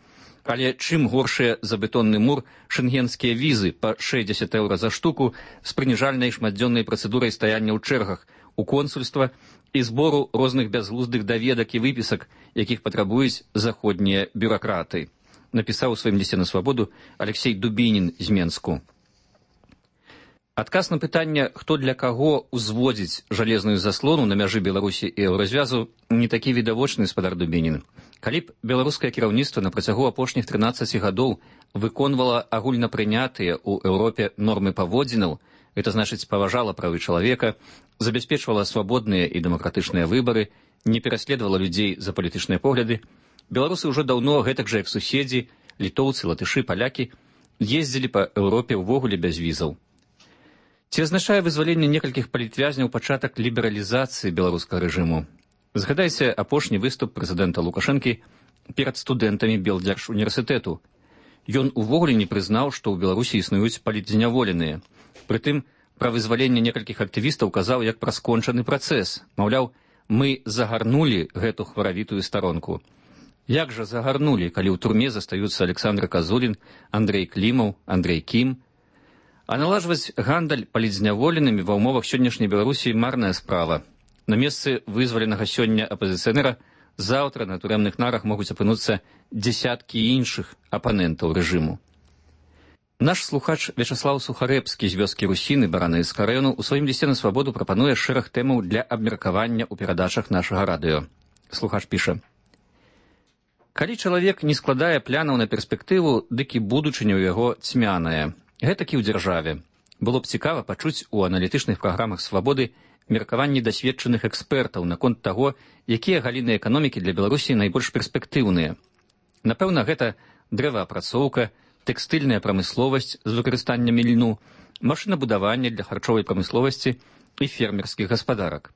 Але чым горшыя за бетонны мур шэнгенскія візы па 60 еўра за штуку з прыніжальнай шматдзённай працэдурай стаяння ў чэргах у консульства і збору розных бязглуздых даведак і выпісак, якіх патрабуюць заходнія бюракраты, напісаў у сваім лісце на свабоду Алексей Дубінін з Менску. Адказ на пытанне, хто для каго узводзіць жалезную заслону на мяжы Беларусі і еўразвязу, не такі відавочны, спадар Дубінін. Калі б беларускае кіраўніцтва на працягу апошніх 13 гадоў выконвала агульнапрынятыя ў Еўропе нормы паводзінаў, гэта значыць паважала правы чалавека, забяспечвала свабодныя і дэмакратычныя выбары, не пераследавала людзей за палітычныя погляды, беларусы ўжо даўно, гэтак жа як суседзі, літоўцы, латышы, палякі, ездзілі па Еўропе ўвогуле без візаў. Ці азначае вызваленне некалькіх палітвязняў пачатак лібералізацыі беларускага рэжыму? Згадайце апошні выступ прэзідэнта Лукашэнкі перад студэнтамі Белдзяржуніверсітэту. Ён увогуле не прызнаў, што ў Беларусі існуюць палітзняволеныя. Прытым, пра вызваленне некалькіх актывістаў казаў як пра скончаны працэс. Маўляў, мы загарнулі гэту хваравітую старонку. Як жа загарнулі, калі ў турме застаюцца Александр Казулін, Андрэй Клімаў, Андрэй Кім? А налажваць гандаль палітзняволенымі ва ўмовах сённяшняй Беларусі марная справа. На месцы вызваленага сёння апазіцыянера заўтра на турэмных нарах могуць апынуцца дзесяткі іншых апанентаў рэжыму. Наш слухач Вячаслаў Сухарэбскі з вёскі Русіны Баранаўскага раёну ў сваім лісце на свабоду прапануе шэраг тэмаў для абмеркавання ў перадачах нашага радыё. Слухач піша: Калі чалавек не складае планаў на перспектыву, дык і будучыня ў яго цьмяная. Гэтакі ў дзяржаве. Было б цікава пачуць у аналітычных праграмах свабоды меркаванні дасведчаных экспертаў наконт таго, якія галіны эканомікі для Беларусі найбольш перспектыўныя. Напэўна, гэта дрэваапрацоўка, тэкстыльная прамысловасць з выкарыстаннем льну, машынабудаванне для харчовай прамысловасці і фермерскіх гаспадарак.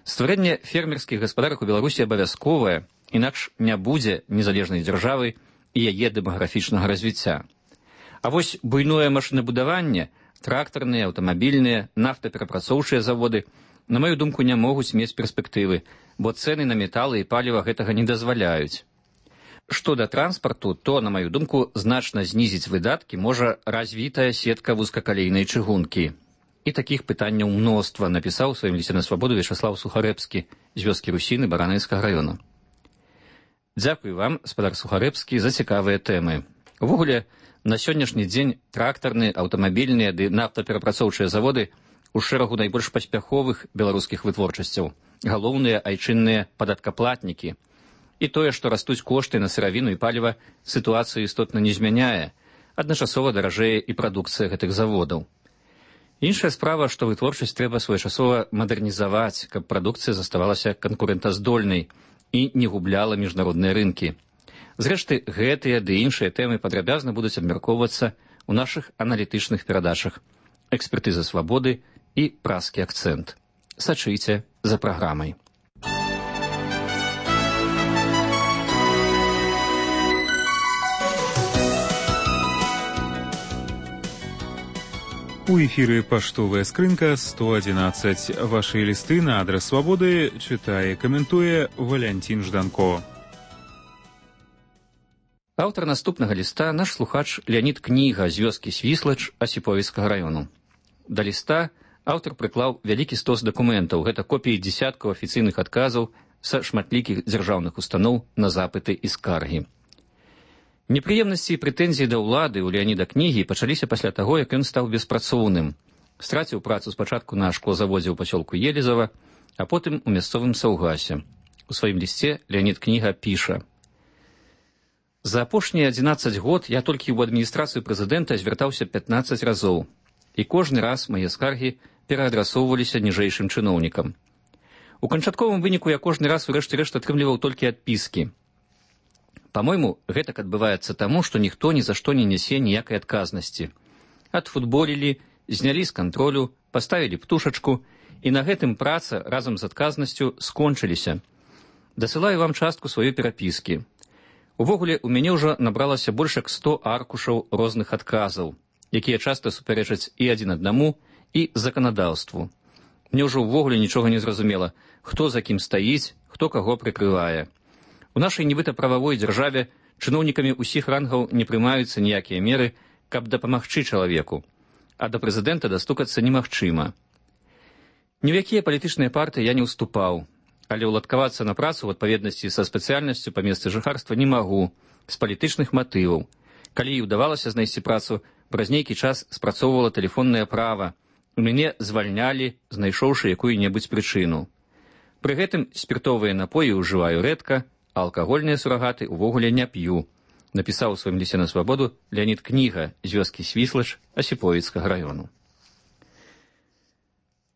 Стварэнне фермерскіх гаспадарак у Беларусі абавязковае, інакш не будзе незалежнай дзяржавы і яе дэмаграфічнага развіцця. А вось буйное машынабудаванне, трактарныя, аўтамабільныя, нафтаперапрацоўчыя заводы, на маю думку, не могуць мець перспектывы, бо цэны на металы і паліва гэтага не дазваляюць. Што да транспарту, то, на маю думку, значна знізіць выдаткі можа развітая сетка вузкакалейнай чыгункі. І такіх пытанняў мноства, напісаў у сваім лісце на свабоду Вячаслаў Сухарэбскі з вёскі Русіны Баранаўскага раёна. Дзякуй вам, спадар Сухарэбскі, за цікавыя тэмы. Увогуле, на сённяшні дзень трактарныя, аўтамабільныя ды нафтаперапрацоўчыя заводы у шэрагу найбольш паспяховых беларускіх вытворчасцяў, галоўныя айчынныя падаткаплатнікі. І тое, што растуць кошты на сыравіну і паліва, сітуацыю істотна не змяняе. Адначасова даражэе і прадукцыя гэтых заводаў. Іншая справа, што вытворчасць трэба своечасова мадэрнізаваць, каб прадукцыя заставалася канкурэнтаздольнай і не губляла міжнародныя рынкі. Зрэшты, гэтыя ды іншыя тэмы падрабязна будуць абмяркоўвацца ў нашых аналітычных перадачах «Экспертыза свабоды» і «Празкі акцэнт». Сачыйце за праграмай. У эфіры паштовая скрынка 111. Вашы лісты на адрас свабоды чытае, каментуе Валянцін Жданко. Аўтар наступнага ліста наш слухач Леонид Кніга з вёскі Свіслач Асіповіцкага раёну. Да ліста аўтар прыклаў вялікі стос дакументаў, гэта копіі дзесяткаў афіцыйных адказаў са шматлікіх дзяржаўных устаноў на запыты і скаргі. Непрыемнасці і прэтэнзіі да ўлады ў Леоніда Кнігі пачаліся пасля таго, як ён стаў беспрацоўным. Страціў працу спачатку на шклозаводзе ў пасёлку Елізава, а потым у мясцовым Саўгасе. У сваім лісце Леонид Кніга піша: «За апошнія 11 год я толькі ў адміністрацыю прэзідэнта звяртаўся 15 разоў, і кожны раз мае скаргі пераадрасоўваліся ніжэйшым чыноўнікам. У канчатковым выніку я кожны раз урэшце рэшт атрымліваў толькі адпіскі. Па-мойму, гэтак адбываецца таму, што ніхто ні за што не нясе ніякай адказнасці. Адфутболілі, знялі з кантролю, паставілі птушачку, і на гэтым праца разам з адказнасцю скончыліся. Дасылаю вам частку сваёй перапіскі. Увогуле, у мяне ўжо набралася больш як 100 аркушаў розных адказаў, якія часта супярэчаць і адзін аднаму, і заканадаўству. Мне ўжо ўвогуле нічога не зразумела, хто за кім стаіць, хто каго прыкрывае. У нашай нібыта прававой дзяржаве чыноўнікамі ўсіх рангаў не прымаюцца ніякія меры, каб дапамагчы чалавеку, а да прэзідэнта дастукацца немагчыма. Ні ў якія палітычныя партыі я не ўступаў, але ўладкавацца на працу ў адпаведнасці са спецыяльнасцю па месцы жыхарства не магу, з палітычных матываў. Калі і ўдавалася знайсці працу, праз нейкі час спрацоўвала тэлефоннае права. У мяне звальнялі, знайшоўшы якую-небудзь прычыну. Пры гэтым спіртовыя напоі ўжываю рэдка, а алкагольныя сурагаты ўвогуле не п'ю, напісаў у сваім лісце на свабоду Леонид Кніга з вёскі Свіслач Асіповіцкага раёну.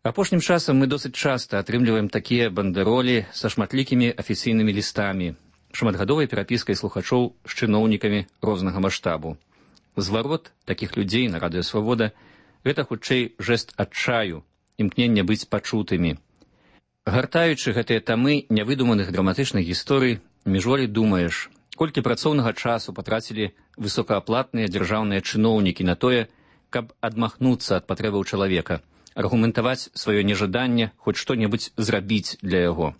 Апошнім часам мы досыць часта атрымліваем такія бандэролі са шматлікімі афіцыйнымі лістамі, шматгадовай перапіскай слухачоў з чыноўнікамі рознага маштабу. Зварот такіх людзей на радыё «Свабода» — гэта хутчэй жэст адчаю, імкнення быць пачутымі. Гартаючы гэтыя тамы нявыдуманых драматычных гісторый, міжволі думаеш, колькі працоўнага часу патрацілі высокааплатныя дзяржаўныя чыноўнікі на тое, каб адмахнуцца ад патрэбаў чалавека, аргументаваць сваё нежаданне, хоць што-небудзь зрабіць для яго.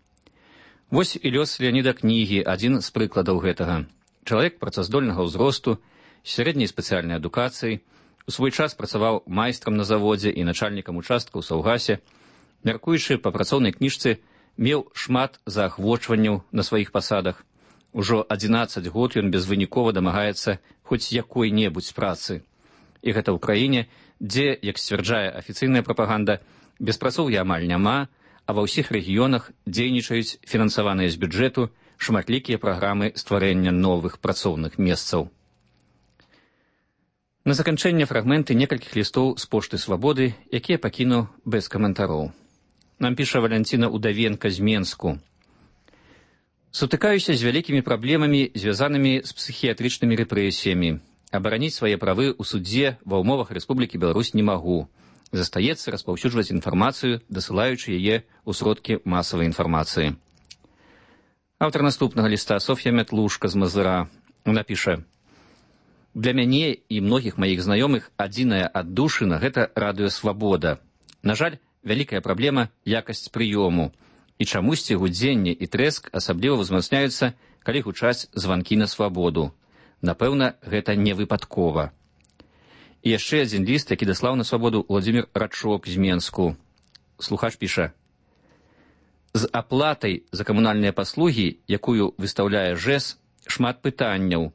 Вось і лёс Леоніда Кнігі, адзін з прыкладаў гэтага. Чалавек працаздольнага ўзросту, з сярэдняй спецыяльнай адукацыяй, у свой час працаваў майстрам на заводзе і начальнікам участка ў Саўгасе, мяркуючы па працоўнай кніжцы, меў шмат заахвочванняў на сваіх пасадах. Ужо 11 год ён безвынікова дамагаецца хоць якой-небудзь працы. І гэта ў краіне, дзе, як сцвярджае афіцыйная прапаганда, беспрацоўя амаль няма, а ва ўсіх рэгіёнах дзейнічаюць фінансаваныя з бюджэту шматлікія праграмы стварэння новых працоўных месцаў. На заканчэнне фрагменты некалькіх лістоў з пошты «Свабоды», якія пакіну без каментароў. Нам піша Валянціна Удавенка з Менску. «Сутыкаюся з вялікімі праблемамі, звязанымі з псіхіятрычнымі рэпрэсіямі. Абараніць свае правы ў судзе ва ўмовах Рэспублікі Беларусь не магу. Застаецца распаўсюджваць інфармацыю, дасылаючы яе ў сродкі масавай інфармацыі». Аўтар наступнага ліста Соф'я Мятлушка з Мазыра. Она піша: «Для мяне і многіх маіх знаёмых адзіная аддушына — гэта радыё «Свабода». На жаль, вялікая праблема — якасць прыёму. І чамусьці гудзенне і трэск асабліва ўзмацняюцца, калі гучаць званкі на свабоду. Напэўна, гэта не выпадкова». І яшчэ адзін ліст, які даслаў на «Свабоду» Владзімір Рачок з Менску. Слухач піша: «З аплатай за камунальныя паслугі, якую выстаўляе ЖЭС, шмат пытанняў.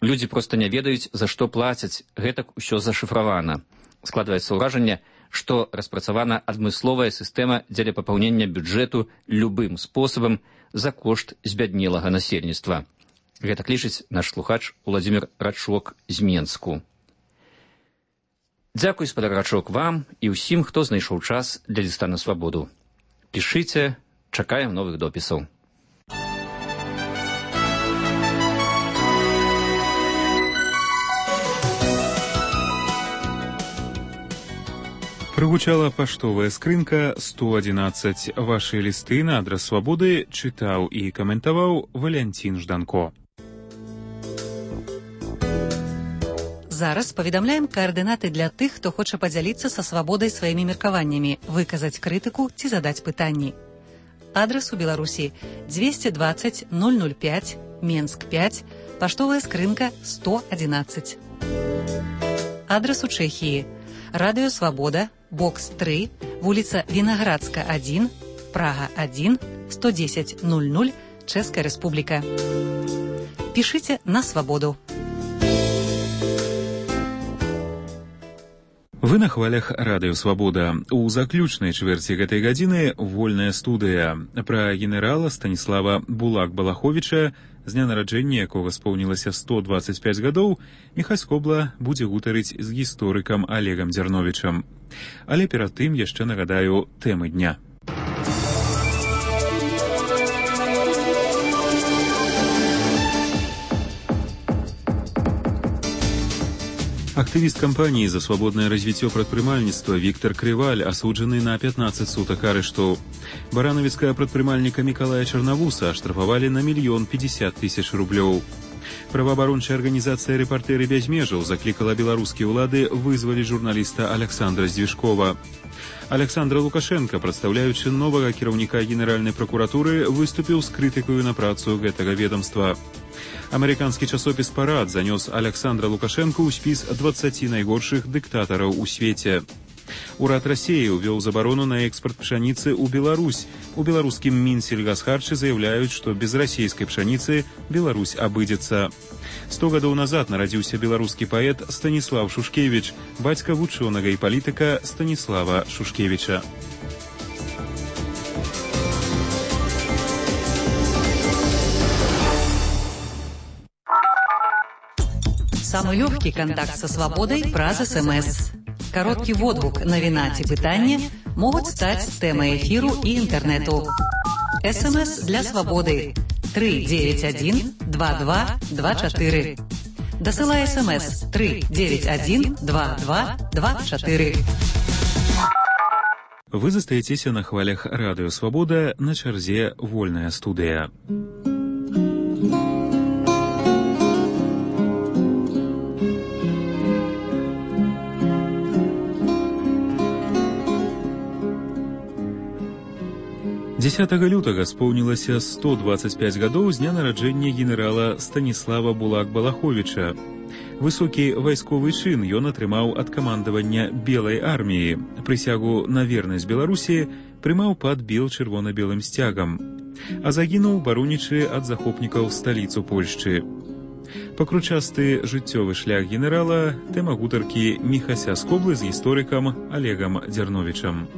Людзі проста не ведаюць, за што плацяць, гэтак усё зашыфравана. Складваецца ўражанне, што распрацавана адмысловая сістэма дзеля папаўнення бюджэту любым спосабам за кошт збяднелага насельніцтва». Гэтак лічыць наш слухач Владзімір Рачок з Менску. Дзякуй, спадар Рачок, вам і ўсім, хто знайшоў час для ліста на «Свабоду». Пішыце, чакаем новых допісаў. Прыгучала паштовая скрынка 111. Вашы лісты на адрас «Свабоды» чытаў і каментаваў Валянцін Жданко. Зараз паведамляем каардынаты для тых, хто хоча падзяліцца са «Свабодай» сваімі меркаваннямі, выказаць крытыку ці задаць пытанні. Адрас у Беларусі 220 005 Менск 5, паштовая скрынка 111. Адрес у Чэхіі: Радыё Свабода, бокс 3, вуліца Вінаградска 1, Прага 1, 110 00, Чэшская Рэспубліка. Пішыце на свабоду. Вы на хвалях радыё Свабода. У заключнай чвэрці гэтай гадзіны вольная студыя пра генерала Станіслава Булак-Балаховіча, з дня нараджэння якога споўнілася 125 гадоў, Міхась Скобла будзе гутарыць з гісторыкам Алегам Дзярновічам. Але перад тым яшчэ нагадаю тэмы дня. Актывіст кампаніі за свабоднае развіццё прадпрымальніцтва Віктар Крываль асуджаны на 15 сутак арышту. Баранавіцкага прадпрымальніка Мікалая Чарнавуса аштрафавалі на 1 050 000 рублёў. Праваабарончая арганізацыя «Рэпартэры без межаў» заклікала беларускія ўлады вызваліць журналіста Александра Здвижкова. Александр Лукашенко, прадстаўляючы новага кіраўніка Генеральнай пракуратуры, выступіў з крытыкаю на працу гэтага ведомства. Амерыканскі часопіс «Парад» занёс Александра Лукашенко ў спіс 20 найгоршых дыктатараў у свеце. Урад Расіі ўвёў забарону на экспарт пшаніцы ў Беларусь. У беларускім Мінсельгасхарчы заяўляюць, што без расійскай пшаніцы Беларусь абыдзецца. 100 гадоў назад нарадзіўся беларускі паэт Станіслав Шушкевіч, бацька вучонага і палітыка Станіслава Шушкевіча. Самый легкий контакт со свободой праз СМС. Короткий водгук, навіна ці пытанне могуць стаць тэмай эфіру і інтэрнэту. СМС для свабоды 391 2224. Дасылай СМС 391 2224. Вы застаецеся на хвалях радыё Свабода, на чарзе вольная студыя. Дзесятага лютага споўнілася 125 гадоў з дня нараджэння генерала Станіслава Булак-Балаховіча. Высокі вайсковы чын ён атрымаў ад камандавання Белай арміі. Прысягу на вернасць Беларусі прымаў пад бел-чырвона-белым сцягам, а загінуў, баронячы ад захопнікаў сталіцу Польшчы. Пакручасты жыццёвы шлях генерала — тэма гутаркі Міхася Скоблы з гісторыкам Алегам Дзярновічам.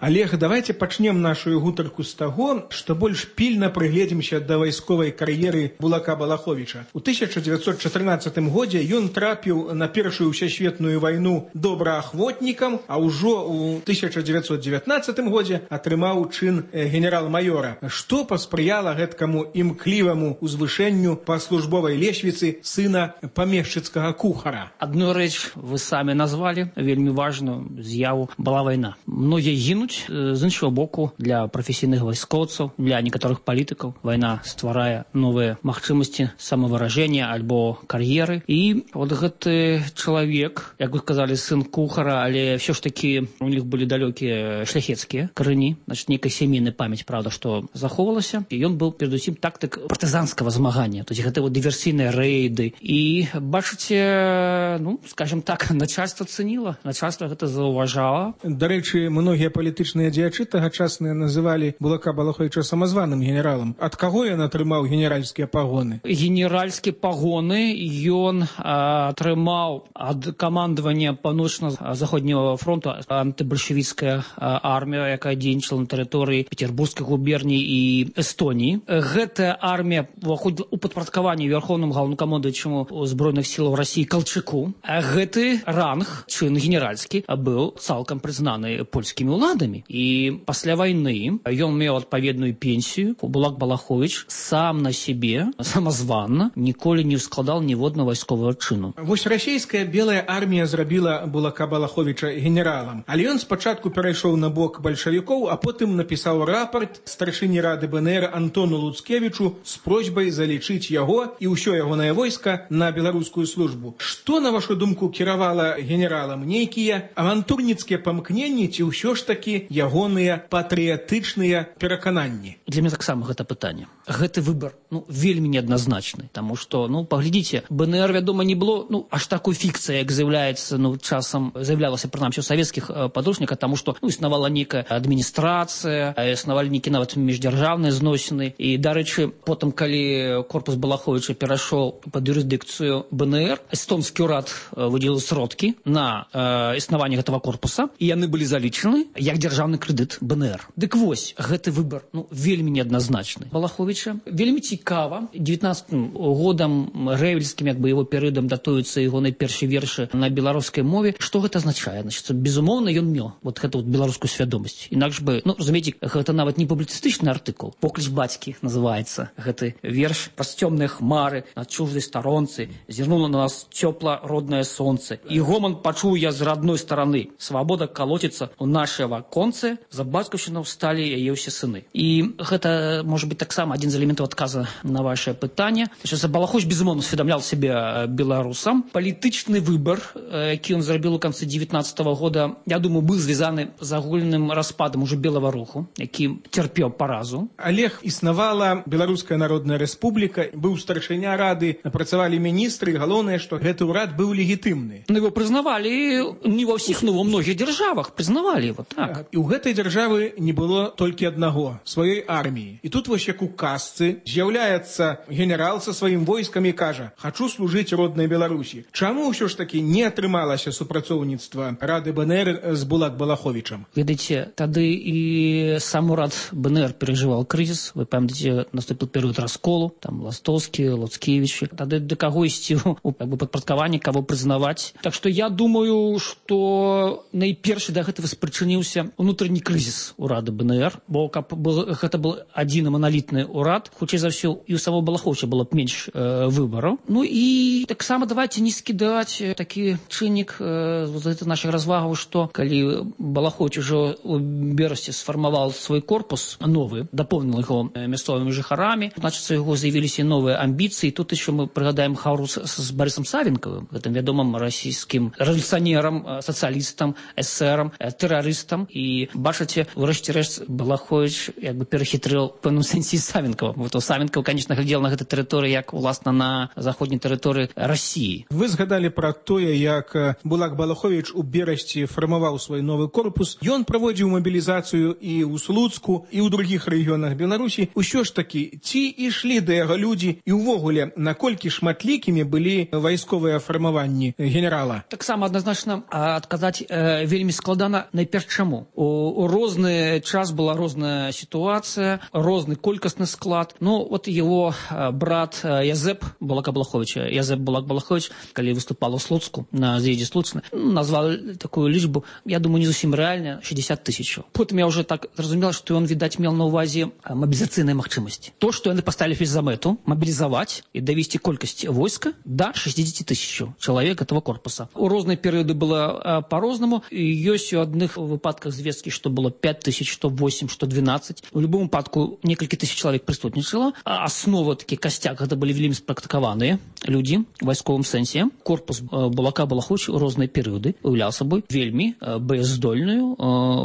Олег, давайте пачнем нашу гутарку з таго, што больш пільна прыгледзімся да вайсковай кар'еры Булака-Балаховіча. У 1914 годзе ён трапіў на Першую ўсесветную вайну добраахвотнікам, а ўжо ў 1919 годзе атрымаў чын генерал-маёра. Што паспрыяла гэткаму імкліваму узвышэнню па службовай лесвіцы сына памешчыцкага кухара? Одну рэч вы самі назвалі, вельмі важную з'яву, была вайна. Многія гінуць. З іншого боку, для прафесійных вайскоўцаў, для некаторых палітыкаў вайна стварае новыя магчымасці самавыражэння альбо кар'еры. І вот гэты чалавек, як вы сказалі, сын кухара, але все ж таки у них былі далёкія шляхецкія карэні, значит, нейкая сямейная памяць, правда, што захоўвалася. І ён быў перадусім тактык партызанскага змагання, то есть гэта вот дыверсійныя рэйды. І бачыце, ну, скажем так, начальство цэніла, начальство гэта заўважала. Дарэчы, многія палітычныя дзеячы тагачасныя называлі Булака-Балаховіча самазваным генералам. Ад каго ён атрымаў генеральскія пагоны? Генеральскія пагоны ён атрымаў ад камандавання паўночна-заходняга фронту антыбальшавіцкая армія, якая дзейнічала на тэрыторыі Петербургскай губерніі і Эстоніі. Гэтая армія ўваходзіла ў падпарадкаванне вярхоўнаму галоўнакамандуючаму збройных сілаў Расіі Калчыку. А гэты ранг, чын генеральскі, быў цалкам прызнаны польскімі ўладамі. І пасля вайны ён меў адпаведную пенсію. Булак-Балаховіч сам на сябе, самазванна, ніколі не складаў ніводнага вайсковага чыну. Вось расійская белая армія зрабіла Булака-Балаховіча генералам. Але ён спачатку перайшоў на бок бальшавікоў, а потым напісаў рапарт старшыні рады БНР Антону Луцкевічу з просьбай залічыць яго і ўсё ягонае войска на беларускую службу. Што, на вашу думку, кіравала генералам? Нейкія авантурніцкія памкненні ці ўсё ж такі якія ягоныя патрыятычныя перакананні? Для мяне таксама гэта пытанне. Гэты выбар вельмі неадназначны, таму што паглядзіце, БНР, вядома, не было аж такой фікцыі, як з'яўляецца часам з'яўлялася прынамсі ў савецкіх падручніках, таму што існавала нейкая адміністрацыя, існавалі нейкія нават міждзяржаўныя зносіны. І, дарэчы, потым, калі корпус Балаховіча перайшоў пад юрысдыкцыю БНР, эстонскі ўрад выдзеліў сродкі на існаванне гэтага корпуса, і яны былі залічаны як дзяржаўны крэдыт БНР. Дык вось, гэты выбар вельмі неадназначны. Балаховіча вельмі цікава. 19 годам рэвельскім яго перыядам датуюцца яго найпершыя вершы на беларускай мове. Што гэта азначае? Безумоўна, ён меў гэту беларускую свядомасць. Інакш бы, разумееце, гэта нават не публіцыстычны артыкул. «Покліч бацькі» называецца гэты верш. Праз цёмныя хмары на чуждай старонцы зірнула на нас цёпла роднае сонце. І гоман пачуў я з родной стараны. Свабода калоціцца ў нашы ваконцы, за бацькаўшчыну сталі яе ўсе сыны. І гэта, можа быць, таксама адзін з элементаў адказа на ваше пытанне. Балаховіч, безумоўна, усведамлял сябе беларусам. Палітычны выбар, які ён зрабіў у канцы 19-го года, я думаю, быў звязаны з агульным распадам уже белага руху, які цярпеў паразу. Олег, існавала Беларуская Народная Рэспубліка, быў старшыня рады, працавалі міністры, галоўнае, што гэты ўрад быў легітымны. Его прызнавалі не ва ўсіх, во многіх дзяржавах прызнавалі его, так. І ў гэтай дзяржавы не было толькі аднаго, сваёй арміі. І тут вось як у казцы з'яўляецца генерал са сваім войскам і кажа: «Хачу служыць роднай Беларусі». Чаму ўсё ж такі не атрымалася супрацоўніцтва рады БНР з Булак Балаховічам? Ведаеце, тады і сам урад БНР перажываў крызіс. Вы памятаеце, наступіў перыяд расколу, там Ластовскі, Луцкевічы. Тады да каго ісці у падпарадкаванне, каго прызнаваць. Так што я думаю, што найперш да гэтага спрычыніўся унутрэнні крызіс урада БНР, бо гэта был адзіны маналітны урад, хутчэй за ўсё і у самого Балаховіча было б менш выбараў. І таксама давайте не скідаць такі чыннік з нашых развагаў, што калі Балаховіч ужо у берасці сфармаваў свой корпус новы, дапоўніў яго мясцовымі жыхарамі, значыцца, яго з'явіліся новыя амбіцыі. Тут еще мы прыгадаем хаўру з Барысам Савенкавым, гэтым вядомым расійскім рэвалюцыянерам, сацыялістам, эсэрам, тэрарыстам. І бачыце, урэшце рэшт Балаховіч перахітрыў в пэўным сэнсе Савенкава. Вот Савенкаў, конечно, глядзеў на гэтай тэрыторыі як, уласна, на заходняй тэрыторыі Расіі. Вы згадалі пра тое, як Булак Балаховіч у берасці фармаваў свой новы корпус. Ён праводзіў мабілізацыю і ў Слуцку, і ў другіх рэгіёнах Беларусі. Усё ж такі, ці ішлі да яго людзі, і ўвогуле, наколькі шматлікімі былі вайсковыя фармаванні генерала? Таксама адназначна адказаць вельмі складана. Найперш чаму? У розны час была розная сітуацыя, розны колькасны склад. Вот его брат Язэп Булака Балаховича, Язэп Булак Балахович, калі выступал у Слуцку, на з'ездзе Слуцна, назвал такую лічбу, я думаю, не зусім рэальна, 60 тысяч. Потым я уже так зразумела, што ён, відаць, меў на ўвазе мабілізацыйныя магчымасці. То, што яны паставілі за мэту мабілізаваць і давесці колькасць войска до 60 тысяч чалавек этого корпуса. У розныя перыяды было по-рознаму. Ёсць у адных выпадках звесткі, што было 5 тысяч, што 8, што 12. У любом выпадку некалькі тысяч чалавек прысутнічала. Аснова, такі касцяк, гэта былі вельмі спрактыкаваныя людзі у вайсковым сэнсе. Корпус Булака Балаховіча у розныя перыяды уяўляў сабой вельмі баяздольную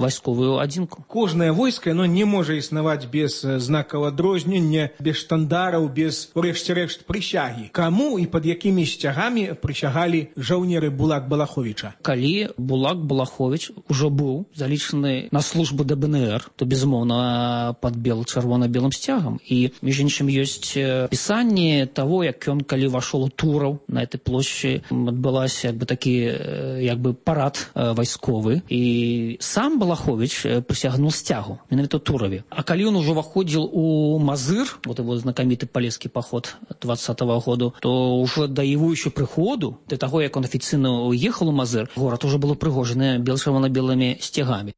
вайсковую адзінку. Кожнае войска, не можа існаваць без знакаў адрознення, без штандараў, без, урэшце рэшт, прысягі. Каму і пад якімі сцягамі прысягалі жаўнеры Булак Балаховіча? Калі Булак Балахович ужо быў залічаны на службу да БНР, то, безумоўна, пад чырвона-белым сцягам. І, між іншым, ёсць пісанне таго, як ён, калі вошел у Тураў, на этой площади адбылася такі парад вайсковы. І сам Балахович прысягнуў сцягу менавіта ў Тураве. А калі ён ужо выходзіў у Мазыр, вот его знакаміты палескі паход 20-го года, то уже до его еще прыходу, до того, як он афіцыйна уехал у Мазыр, город уже был упрыгожаны чырвона-белымі сцягамі.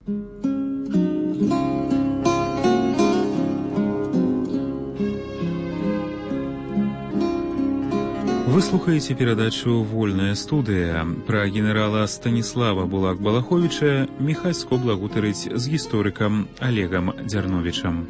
Вы слухаеце перадачу «Вольная студыя». Пра генерала Станіслава Булак Балаховіча Міхальско благутарыць з гісторыкам Олегам Дзярновічам.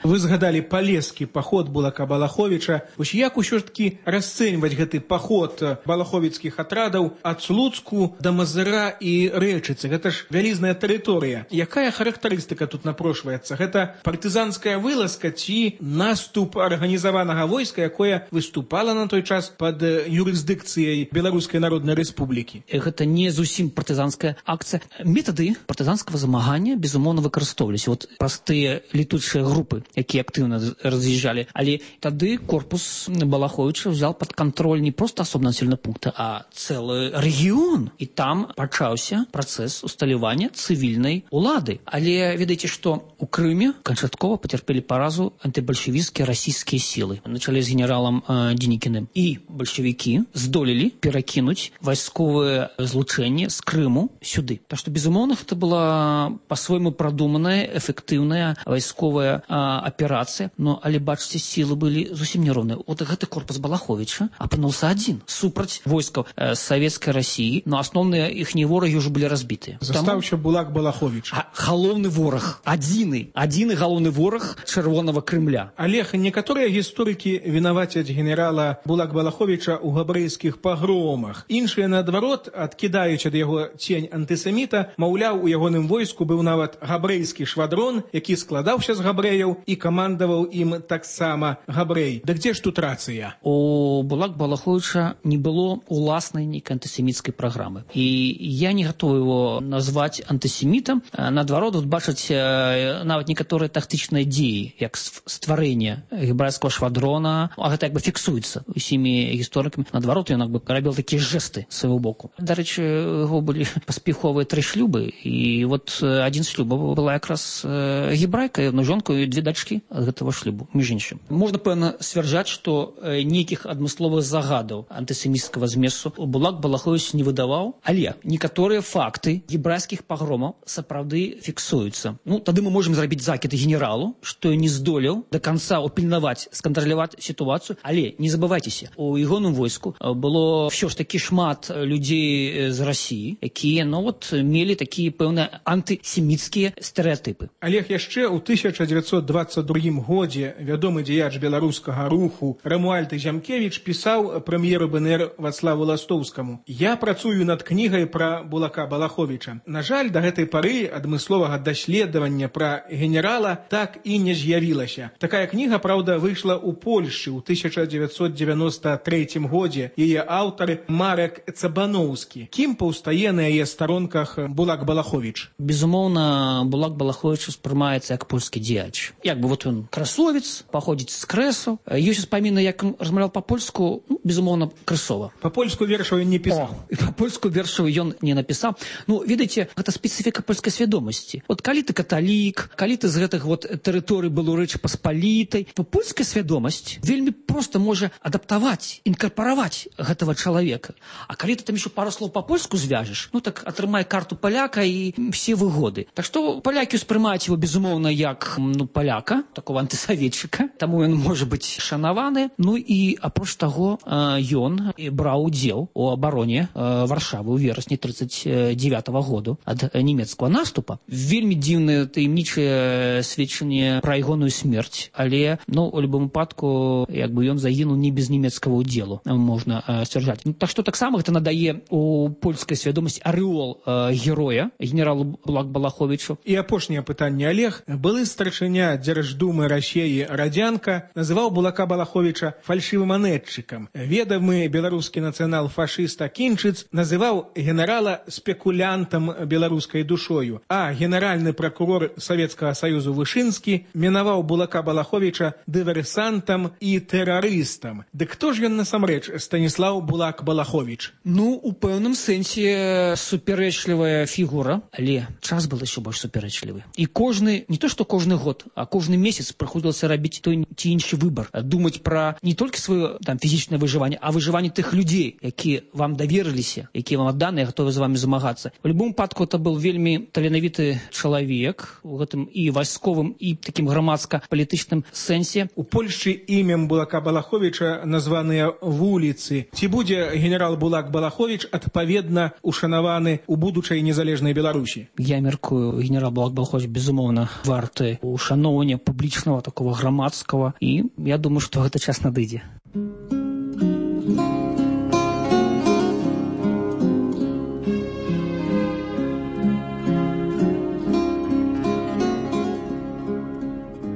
Вы згадалі палескі паход Булака Балаховіча. Вось як усё ж такі расцэньваць гэты паход балаховіцкіх атрадаў ад Слуцку да Мазыра і Рэчыцы? Гэта ж вялізная тэрыторыя. Якая характарыстыка тут напрошваецца? Гэта партызанская вылазка ці наступ арганізаванага войска, якое выступала на той час пад юрысдыкцыяй Беларускай Народнай Рэспублікі? Гэта не зусім партызанская акцыя. Метады партызанскага замагання, безумоўна, выкарыстоўваліся. Вот простыя летучыя групы, якія актыўна раз'язджалі. Але тады корпус Балаховіча взял под контроль не просто асобны населены пункт, а цэлы рэгіён. І там пачаўся працэс усталявання цывільнай улады. Але ведаеце, што у Крыме канчаткова пацярпелі паразу антыбальшавіцкія расійскія сілы на чале з генералам Дзенікіным. І бальшавікі здолелі перакінуць вайсковыя злучэнні з Крыму сюды. Так што, безумоўна, гэта была па-свойму прадуманая, эфектыўная вайсковая аперацыя, но, але, бачыце, сілы былі зусім нероўныя. Вот гэты корпус Балаховіча апынуўся адзін супраць войскаў савецкай Расіі, но асноўныя іхнія ворагі ўжо былі разбітыя. Застаўся Булак Балаховіч. Галоўны вораг, адзіны галоўны вораг Чырвонага Крымля. Олег, некаторыя гісторыкі вінавацяць генерала Булак Балаховіча ў габрэйскіх пагромах. Іншыя, наадварот, адкідаюць ад яго цень антысеміта, маўляў, у ягоным войску быў нават габрэйскі швадрон, які складаўся з габрэяў і камандаваў ім таксама габрэй. Да дзе ж тут рацыя? У Булак Балаховіча не было уласнай нейкай антысеміцкай праграмы. І я не гатовы его назваць антысемітам. Наадварот, тут бачаць нават некаторыя тактычныя дзеі, як стварэнне гебрайскага швадрона, а гэта як бы фіксуецца усімі гісторыкамі. Наадварот, ён як бы рабіў такія жэсты з свайго боку. Дарэчы, яго былі паспяховыя 3 шлюбы, і вот адзін з шлюбаў была якраз гебрайка, одну жонку і 2 дачкі ад гэтага шлюбу, між іншым. Можна, пэўна, сцвярджаць, што нейкіх адмысловых загадаў антысеміцкага зместу Булак Балаховіч не выдаваў, але некаторыя факты гебрайскіх пагромаў сапраўды фіксуюцца. Ну, тады мы можем зрабіць закід генералу, што не здолеў до конца упільнаваць, скантраляваць сітуацыю, але не забывайцеся, у ягоным войску было ўсё ж такі шмат людзей з Расіі, якія, ну, вот, мелі такія пэўныя антысеміцкія стэрэатыпы. Олег, яшчэ ў 1922 годзе вядомы дзеяч беларускага руху Рамуальд Зямкевіч пісаў прэм'еру БНР Вацлаву Ластоўскаму: «Я працую над кнігай пра Булака Балаховіча. На жаль, да гэтай пары адмысловага даследавання пра генерала так і не з'явілася. Такая кніга, праўда, выйшла ў Польшчы ў 1993 годзе. Яе аўтар Марек Цабаноўскі. Кім паўстае на яе старонках Булак Балаховіч? Безумоўна, Булак Балаховіч успрымаецца як польскі дзеяч. Як бы вот ён красовец, паходзіць з Крэсу. Ёсць успаміны, як ён размаўляў па-польску, ну, безумоўна, крысова. Па-польску вершаў ён не пісаў. Па-польску вершаў ён не напісаў. Ну, ведаеце, гэта спецыфіка польскай свядомасці. Вот калі ты каталік, калі ты з гэтых вот тэрыторый былой Рэчы Паспалітай, то польская свядомасць вельмі проста можа адаптаваць, інкарпараваць гэтага чалавека. А калі ты там еще пару слоў па-польску звяжаш, ну так атрымай карту паляка і все выгоды. Так што палякі ўспрымаюць его, безумоўна, як, ну, паляка, такого антысаветчыка, таму ён можа быць шанаваны. Ну і апроч таго, ён браў удзел у абароне Варшавы ў верасні 1939 году ад нямецкага наступа. Вельмі дзіўнае таямнічае сведчанне пра ягоную смерць, але, ну, у любым выпадку, як бы ён загінуў не без нямецкага удзелу, можна сцвярджаць. Ну, так што таксама гэта надае у польскай свядомасці арэол героя, генералу Булак Балаховічу. І апошняе пытанне, Олег. Былы старшыня Дзярждумы Расіі Радзянка называў Булака Балаховіча фальшывым анетчыкам. Ведамы беларускі нацыянал-фашыст Акінчыц называў генерала спекулянтам беларускай душою, а генеральны пракурор Савецкага Саюзу Вышынскі мінаваў Булака Балаховіча дыверсантам і тэрарыстам. Дык хто ж ён насамрэч, Станіслаў Булак Балаховіч? Ну, у пэўным сэнсе супярэчлівая фігура, але час был яшчэ больш супярэчлівы. І кожны, не то што кожны год, а кожны месяц прыходзілася рабіць той ці іншы выбар, думаць пра не толькі сваё там фізічнае выжыванне, а выжыванне тых людзей, якія вам даверыліся, якія вам адданыя, гатовы з вами змагацца. У любым выпадку это был вельмі таленавіты чалавек у гэтым і вайсковым, і такім грамадска-палітычным сэнсе. У Польшчы імем Булака Булака Балаховіча названыя вуліцы. Ці будзе генерал Булак Балаховіч адпаведна ушанаваны ў будучай незалежнай Беларусі? Я меркую, генерал Булак Балахович, безумоўна, варты ушановання публічнага, такого грамадскага, і я думаю, што гэта час надыдзе.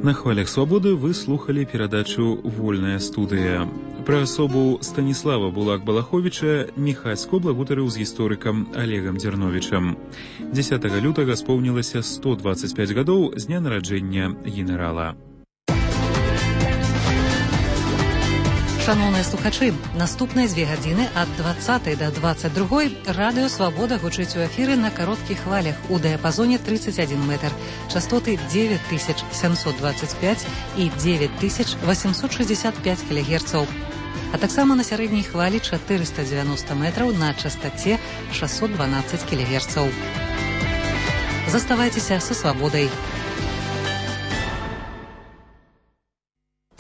На хвалях свабоды вы слухали перадачу «Вольная студыя». Пра асобу Станіслава Булак-Балаховіча Міхацько благутарыў з гісторыкам Олегам Дзярновічам. 10 лютага споўнілася 125 гадоў з дня нараджэння генерала. Шановныя слухачы, наступныя 2 гадзіны ад 20 до 22 радыё «Свабода» гучыць у эфіры на кароткіх хвалях у дыяпазоне 31 метр, частоты 9725 і 9865 кГц, а таксама на сярэдняй хвалі 490 метраў на частоце 612 кГц. Заставайцеся са «Свабодай».